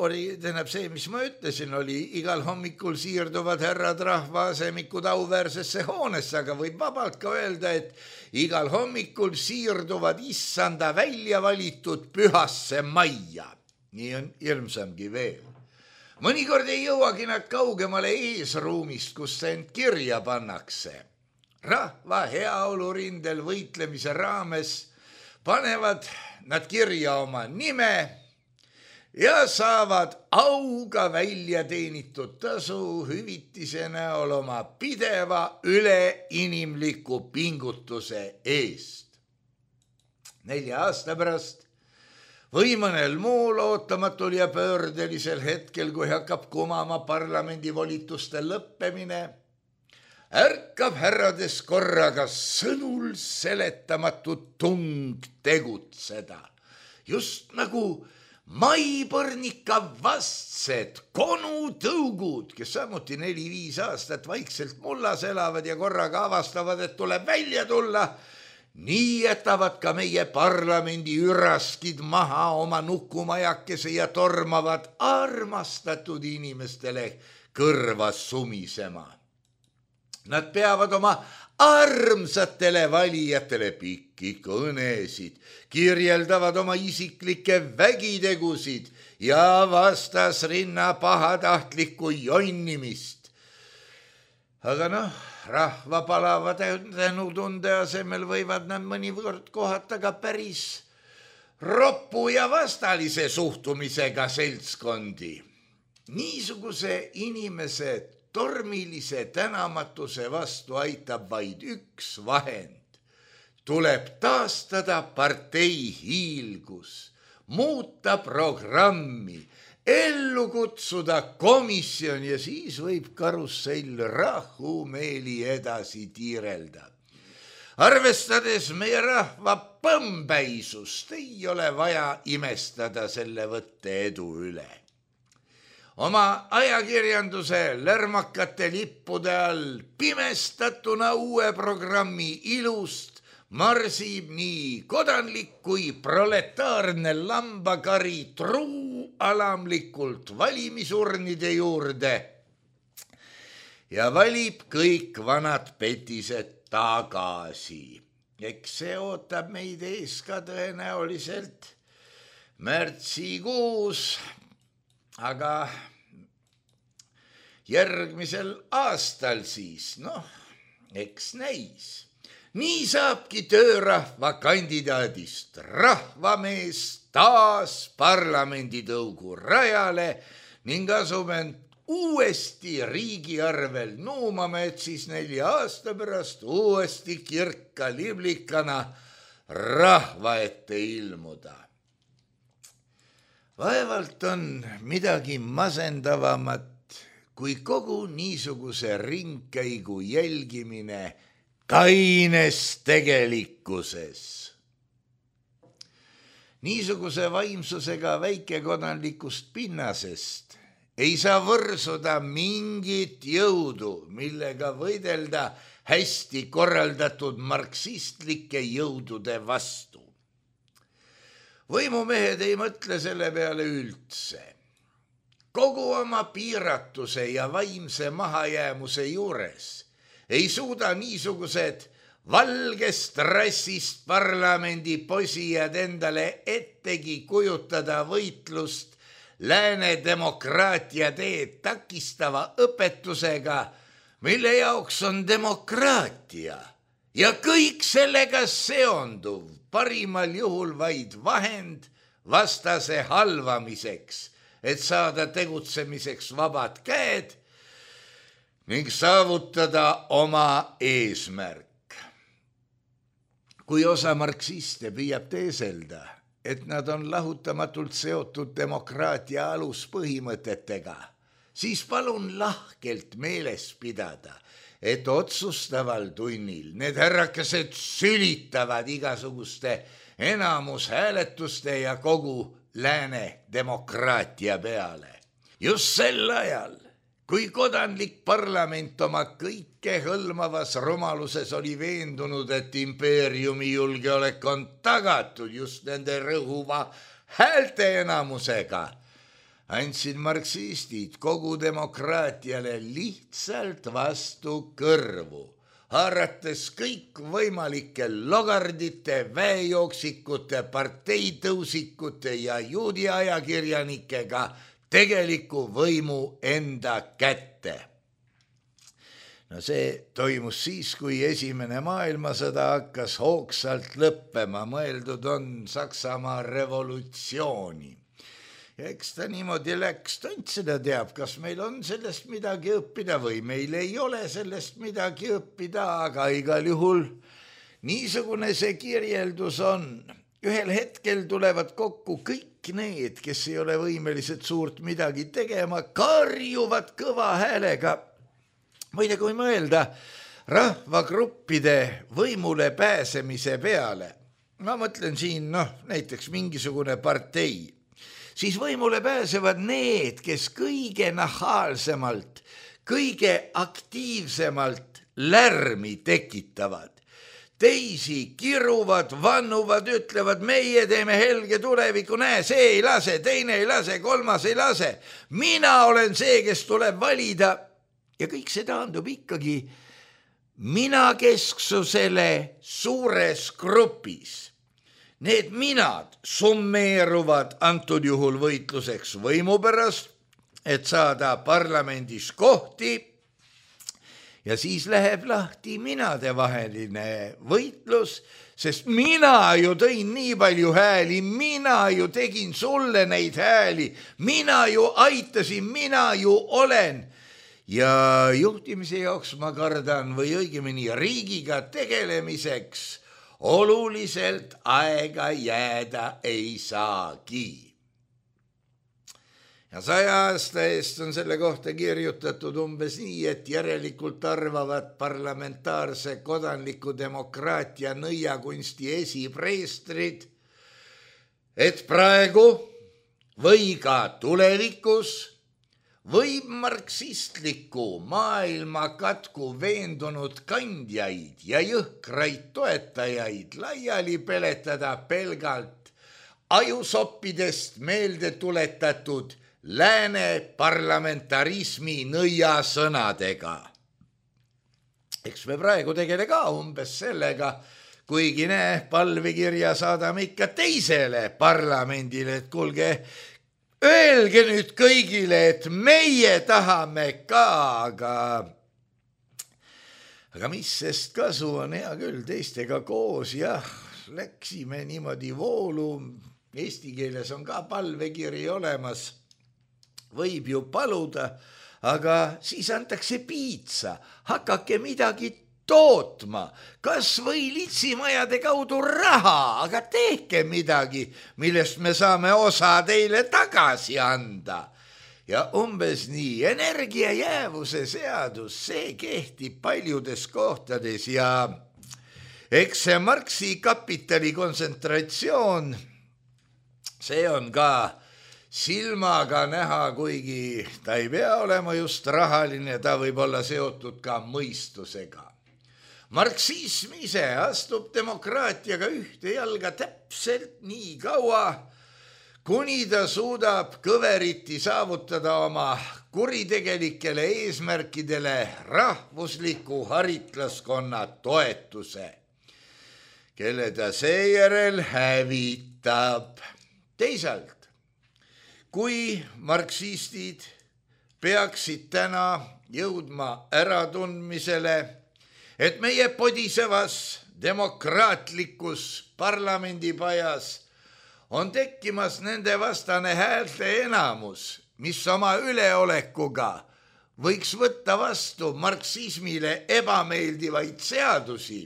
Oli, tähendab see, mis ma ütlesin, oli igal hommikul siirduvad härrad rahvaasemikud auväärsesse hoonesse, aga võib vabalt ka öelda, et igal hommikul siirduvad issanda välja valitud pühasse majja. Nii on ilmsamgi veel. Mõnikord ei jõuagi nad kaugemale eesruumist, kus end kirja pannakse. Rahva heaolurindel võitlemise raames panevad nad kirja oma nime ja saavad auga välja teenitud tasu hüvitise näol oma pideva üleinimliku pingutuse eest. Nelja aasta pärast või mõnel muul ootamatul ja pöördelisel hetkel, kui hakkab kumama parlamendi volituste lõppemine, ärkab härrades korraga sõnul seletamatu tung tegutseda, just nagu maipõrnika vastsed konutõugud, kes samuti neli-viis aastat vaikselt mullas elavad ja korraga avastavad, et tuleb välja tulla, nii jätavad ka meie parlamendi üraskid maha oma nukumajakese ja tormavad armastatud inimestele kõrva sumisema. Nad peavad oma armsatele valijatele pikki kõnesid, kirjeldavad oma isiklikke vägitegusid ja vastasrinna pahatahtlikku jonnimist. Aga noh, rahva palava tänutunde asemel võivad nad mõnikord kohata ka päris roppu ja vastalise suhtumisega seltskondi. Niisuguse inimese tormilise tänamatuse vastu aitab vaid üks vahend. Tuleb taastada partei hiilgus, muuta programmi, ellu kutsuda komisjon ja siis võib karussell rahumeeli edasi tiirelda. Arvestades meie rahva põmpäisust, ei ole vaja imestada selle võtte edu üle. Oma ajakirjanduse lärmakate lippude all pimestatuna uue programmi ilust marsib nii kodanlik kui proletaarne lambakari truu alamlikult valimisurnide juurde ja valib kõik vanad petised tagasi. Eks see ootab meid ees ka tõenäoliselt märtsikuus, aga järgmisel aastal siis, noh, eks näis. Nii saabki töörahva kandidaadist rahvamees taas parlamenditõugu rajale ning asub end uuesti riigi arvel nuumame, et siis nelja aasta pärast uuesti kirka liblikana rahva ette ilmuda. Vaevalt on midagi masendavamat kui kogu niisuguse ringkäigu jälgimine kaines tegelikkuses. Niisuguse vaimsusega väikekodanlikust pinnasest ei saa võrsuda mingit jõudu, millega võidelda hästi korraldatud marksistlike jõudude vastu. Võimumehed ei mõtle selle peale üldse. kogu oma piiratuse ja vaimse mahajäämuse juures ei suuda niisugused valgest rassist parlamendi posijad endale ettegi kujutada võitlust lääne demokraatia teed takistava õpetusega, mille jaoks on demokraatia ja kõik sellega seonduv parimal juhul vaid vahend vastase halvamiseks, et saada tegutsemiseks vabad käed ning saavutada oma eesmärk. Kui osa marksiste püüab teeselda, et nad on lahutamatult seotud demokraatia aluspõhimõtetega, siis palun lahkelt meeles pidada, et otsustaval tunnil need härrakesed sülitavad igasuguste enamushääletuste ja kogu lääne demokraatia peale. Just sel ajal, kui kodanlik parlament oma kõike hõlmavas rumaluses oli veendunud, et impeeriumi julgeolek on tagatud just nende rõhuva häälte enamusega, andsid marksistid kogu demokraatiale lihtsalt vastu kõrvu, haarates kõik võimalike logardite, väejooksikute, parteitõusikute ja juudi ajakirjanikega tegeliku võimu enda kätte. No see toimus siis, kui esimene maailmasõda hakkas hoogsalt lõppema, mõeldud on Saksamaa revolutsiooni. Ja eks ta niimoodi läks, tont seda teab, kas meil on sellest midagi õppida või meil ei ole sellest midagi õppida, aga igal juhul niisugune see kirjeldus on. Ühel hetkel tulevad kokku kõik need, kes ei ole võimelised suurt midagi tegema, karjuvad kõva häälega. Muide, kui mõelda rahvagruppide võimule pääsemise peale, ma mõtlen siin noh, näiteks mingisugune partei, siis võimule pääsevad need, kes kõige nahaalsemalt, kõige aktiivsemalt lärmi tekitavad. Teisi kiruvad, vannuvad, ütlevad, meie teeme helge tuleviku, näe, see ei lase, teine ei lase, kolmas ei lase. Mina olen see, kes tuleb valida. Ja kõik see taandub ikkagi mina kesksusele suures grupis. Need minad summeeruvad antud juhul võitluseks võimu pärast, et saada parlamendis kohti. Ja siis läheb lahti minade vaheline võitlus, sest mina ju tõin nii palju hääli, mina ju tegin sulle neid hääli, mina ju aitasin, mina ju olen. Ja juhtimise jaoks ma kardan või õigemini riigiga tegelemiseks oluliselt aega jääda ei saagi. Ja saja aasta eest on selle kohta kirjutatud umbes nii, et järelikult arvavad parlamentaarse kodanliku demokraatia nõiakunsti esipreestrid, et praegu või ka tulevikus võib marksistliku maailma katku veendunud kandjaid ja jõhkraid toetajaid laiali peletada pelgalt ajusoppidest meelde tuletatud lääne parlamentarismi nõiasõnadega. Eks me praegu tegele ka umbes sellega, kuigi näe, palvikirja saadame ikka teisele parlamendile, et kuulge, öelge nüüd kõigile, et meie tahame ka, aga, aga mis sest kasu on, hea küll, teistega koos, jah, läksime niimoodi voolu, eesti keeles on ka palvekiri olemas, võib ju paluda, aga siis antakse piitsa, hakake midagi tootma, kas või litsimajade kaudu raha, aga tehke midagi, millest me saame osa teile tagasi anda. Ja umbes nii, energiajäävuse seadus, see kehtib paljudes kohtades ja eks see Marxi kapitali kontsentratsioon, see on ka silmaga näha, kuigi ta ei pea olema just rahaline, ta võib olla seotud ka mõistusega. Marksism ise astub demokraatiaga ühte jalga täpselt nii kaua, kuni ta suudab kõveriti saavutada oma kuritegelikele eesmärkidele rahvusliku haritlaskonna toetuse, kelle ta seejärel hävitab. Teisalt, kui marksistid peaksid täna jõudma äratundmisele, et meie podisevas demokraatlikus parlamendipajas on tekkimas nende vastane häälte enamus, mis oma üleolekuga võiks võtta vastu marksismile ebameeldivaid seadusi,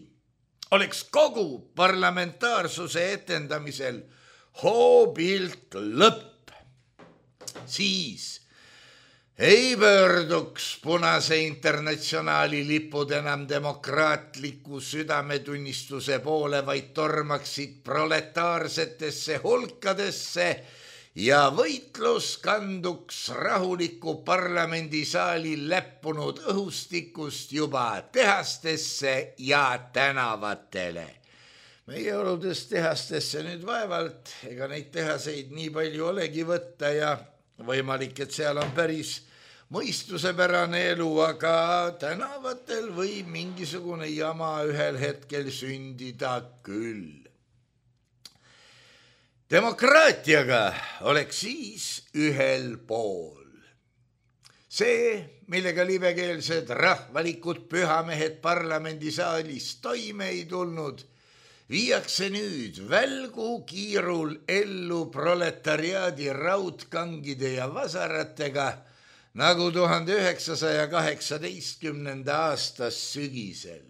oleks kogu parlamentaarsuse etendamisel hoobilt lõpp. Siis ei pöörduks Punase Internatsionaali lipud enam demokraatliku südametunnistuse poole, vaid tormaksid proletaarsetesse hulkadesse ja võitlus kanduks rahuliku parlamendisaali läppunud õhustikust juba tehastesse ja tänavatele. Meie oludes tehastesse nüüd vaevalt, ega neid tehaseid nii palju olegi võtta ja võimalik, et seal on päris mõistusepärane elu, aga tänavatel võib mingisugune jama ühel hetkel sündida küll. Demokraatiaga oleks siis ühel pool. See, millega libekeelsed rahvalikud pühamehed parlamendisaalis toime ei tulnud, viiakse nüüd välgu kiirul ellu proletariaadi raudkangide ja vasaratega, nagu tuhande üheksasaja kaheksateistkümnenda aastas sügisel.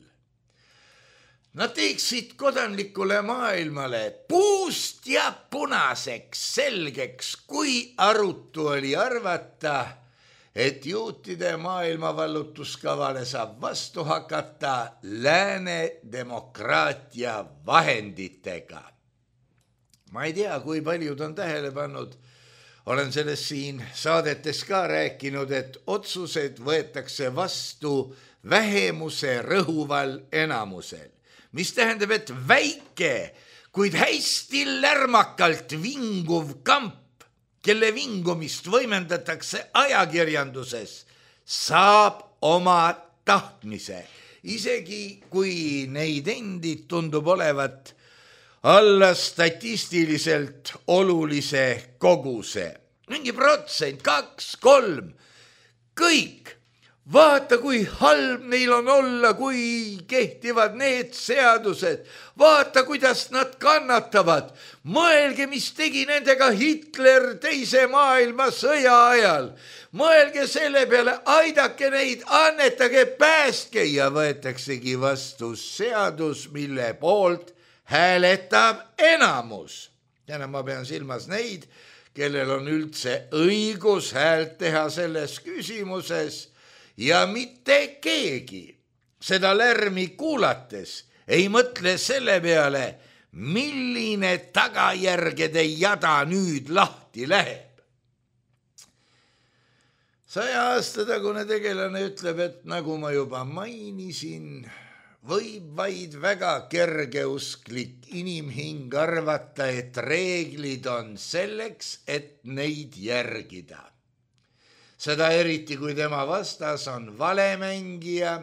Nad teeksid kodanlikule maailmale puust ja punaseks selgeks, kui arutu oli arvata, et juutide maailmavallutuskavale saab vastu hakata lääne demokraatia vahenditega. Ma ei tea, kui paljud on tähele pannud, olen sellest siin saadetes ka rääkinud, et otsused võetakse vastu vähemuse rõhuval enamusel, mis tähendab, et väike, kuid hästi lärmakalt vinguv kamp, kelle vingumist võimendatakse ajakirjanduses, saab oma tahtmise, isegi kui neid endid tundub olevat alla statistiliselt olulise koguse. Mingi protsent, kaks, kolm, kõik. Vaata, kui halb neil on olla, kui kehtivad need seadused. Vaata, kuidas nad kannatavad. Mõelge, mis tegi nendega Hitler teise maailmasõja ajal. Mõelge selle peale, aidake neid, annetage, päästke ja võetaksegi vastu seadus, mille poolt hääletab enamus. Täna ma pean silmas neid, kellel on üldse õigus häält teha selles küsimuses ja mitte keegi seda lärmi kuulates ei mõtle selle peale, milline tagajärgede jada nüüd lahti läheb. Saja aasta tagune tegelane ütleb, et nagu ma juba mainisin, võib vaid väga kergeusklik inimhing arvata, et reeglid on selleks, et neid järgida. Seda eriti, kui tema vastas on valemängija,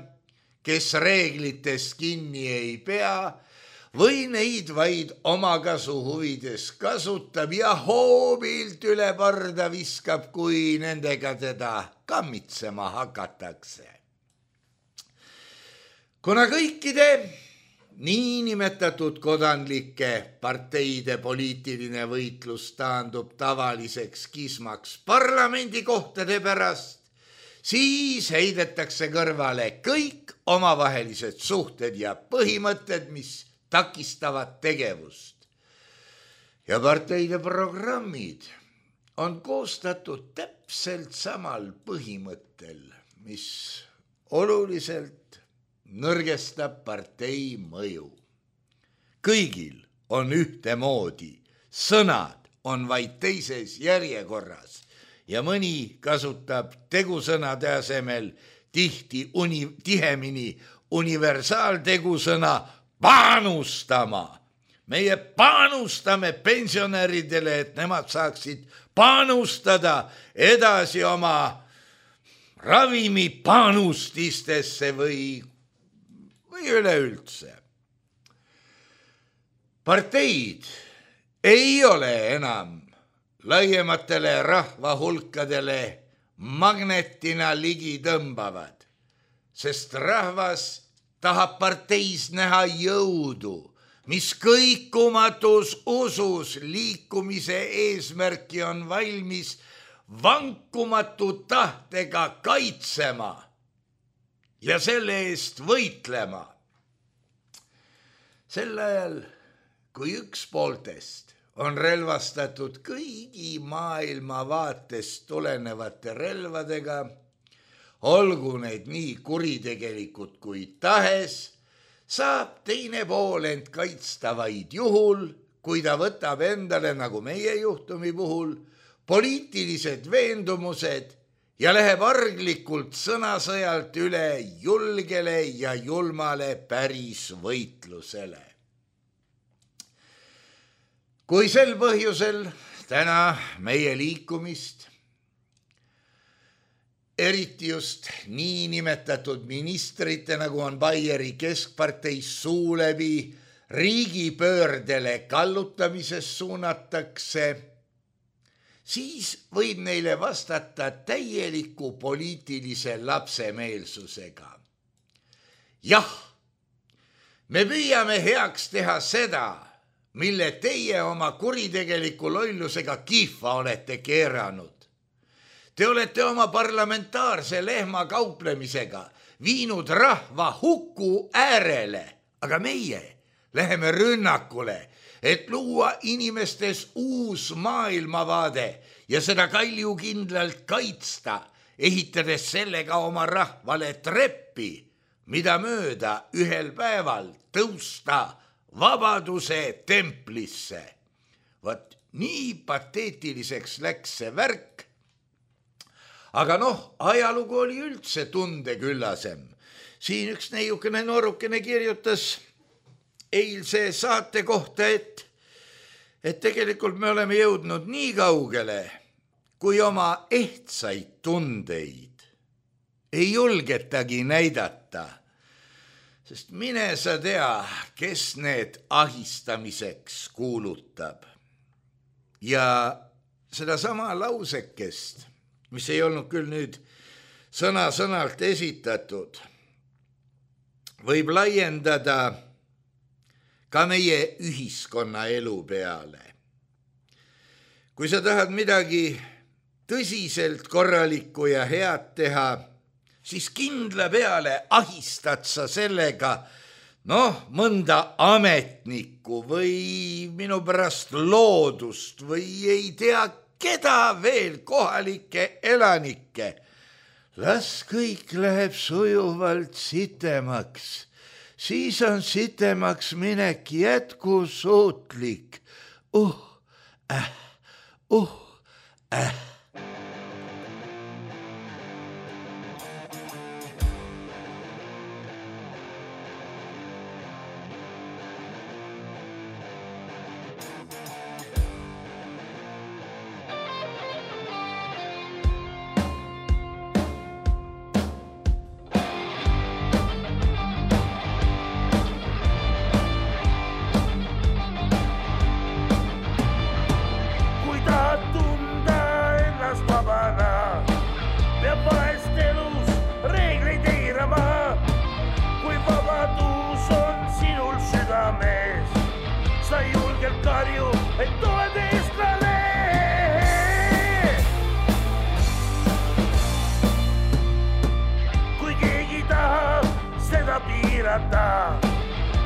kes reeglitest kinni ei pea või neid vaid omakasu huvides kasutab ja hoobilt üle parda viskab, kui nendega teda kammitsema hakatakse. Kuna kõikide niinimetatud kodanlike parteide poliitiline võitlus taandub tavaliseks kismaks parlamendikohtade pärast, siis heidetakse kõrvale kõik omavahelised suhted ja põhimõtted, mis takistavad tegevust. Ja parteide programmid on koostatud täpselt samal põhimõttel, mis oluliselt nõrgestab partei mõju. Kõigil on ühtemoodi, sõnad on vaid teises järjekorras ja mõni kasutab tegusõnade asemel tihti uni, tihemini universaaltegusõna panustama, meie panustame pensionäridele, et nemad saaksid panustada edasi oma ravimipanustistesse või, või üleüldse. Parteid ei ole enam laiematele rahvahulkadele magnetina ligi tõmbavad, sest rahvas tahab parteis näha jõudu, mis kõikumatus usus liikumise eesmärki on valmis vankumatu tahtega kaitsema ja selle eest võitlema. Sel ajal, kui üks pooltest on relvastatud kõigi maailma vaatest tulenevate relvadega, olgu need nii kuritegelikud kui tahes, saab teine pool end kaitsta vaid juhul, kui ta võtab endale, nagu meie juhtumi puhul, poliitilised veendumused ja läheb arglikult sõnasõjalt üle julgele ja julmale päris võitlusele. Kui sel põhjusel täna meie liikumist, eriti just niinimetatud ministrite, nagu on Baieri keskparteis suu läbi, riigipöördele kallutamises suunatakse, siis võib neile vastata täieliku poliitilise lapsemeelsusega. Jah, me püüame heaks teha seda, mille teie oma kuritegeliku lollusega kihva olete keeranud. Te olete oma parlamentaarse lehma kauplemisega viinud rahva huku äärele, aga meie läheme rünnakule, et luua inimestes uus maailmavaade ja seda kaljukindlalt kaitsta, ehitades sellega oma rahvale treppi, mida mööda ühel päeval tõusta vabaduse templisse. Vot nii pateetiliseks läks see värk. Aga noh, ajalugu oli üldse tundeküllasem. Siin üks neiukene noorukene kirjutas eilse saate kohta, et, et tegelikult me oleme jõudnud nii kaugele, kui oma ehtsaid tundeid ei julgetagi näidata. Sest mine sa tea, kes need ahistamiseks kuulutab. Ja seda sama lausekest, mis ei olnud küll nüüd sõna-sõnalt esitatud, võib laiendada ka meie ühiskonna elu peale. Kui sa tahad midagi tõsiselt korralikku ja head teha, siis kindla peale ahistad sa sellega, noh, mõnda ametnikku või minu pärast loodust või ei tea keda veel kohalikke elanikke. Las kõik läheb sujuvalt sitemaks, siis on sitemaks minek jätkusuutlik. Uh, äh, uh, äh.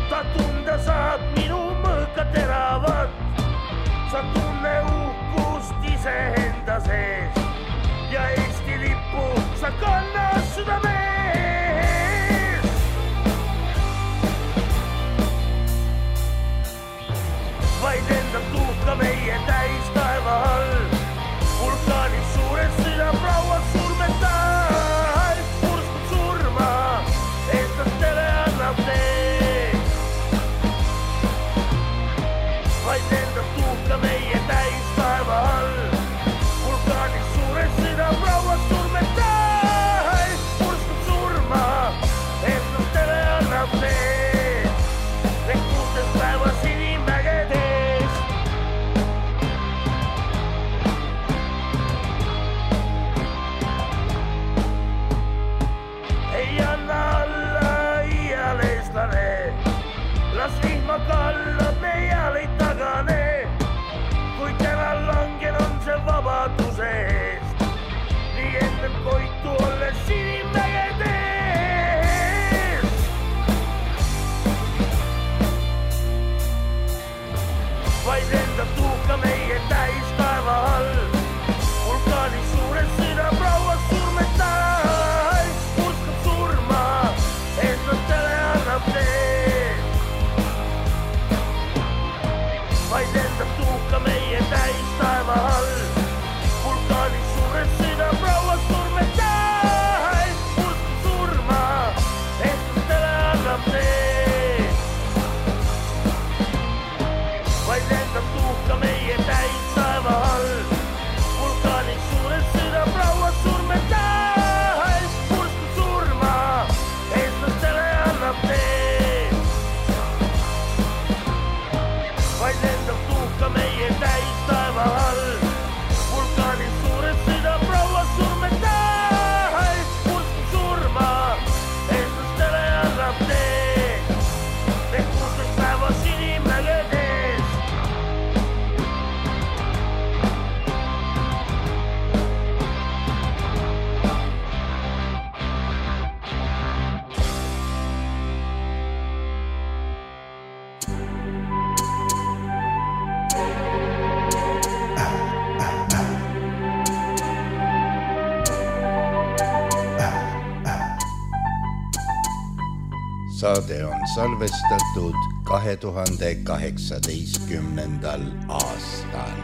Ta tunda saab minu mõõka teravat, sa tunne uhkust iseenda sees ja Eesti lippu sa kannad südamees. Vaid lendab tuhka meie täis taeva all, vulkaanis suures süda rauas surmetall, purskub surma, eestlastele annab tee. saade on salvestatud kahe tuhande kaheksateistkümnendal aastal.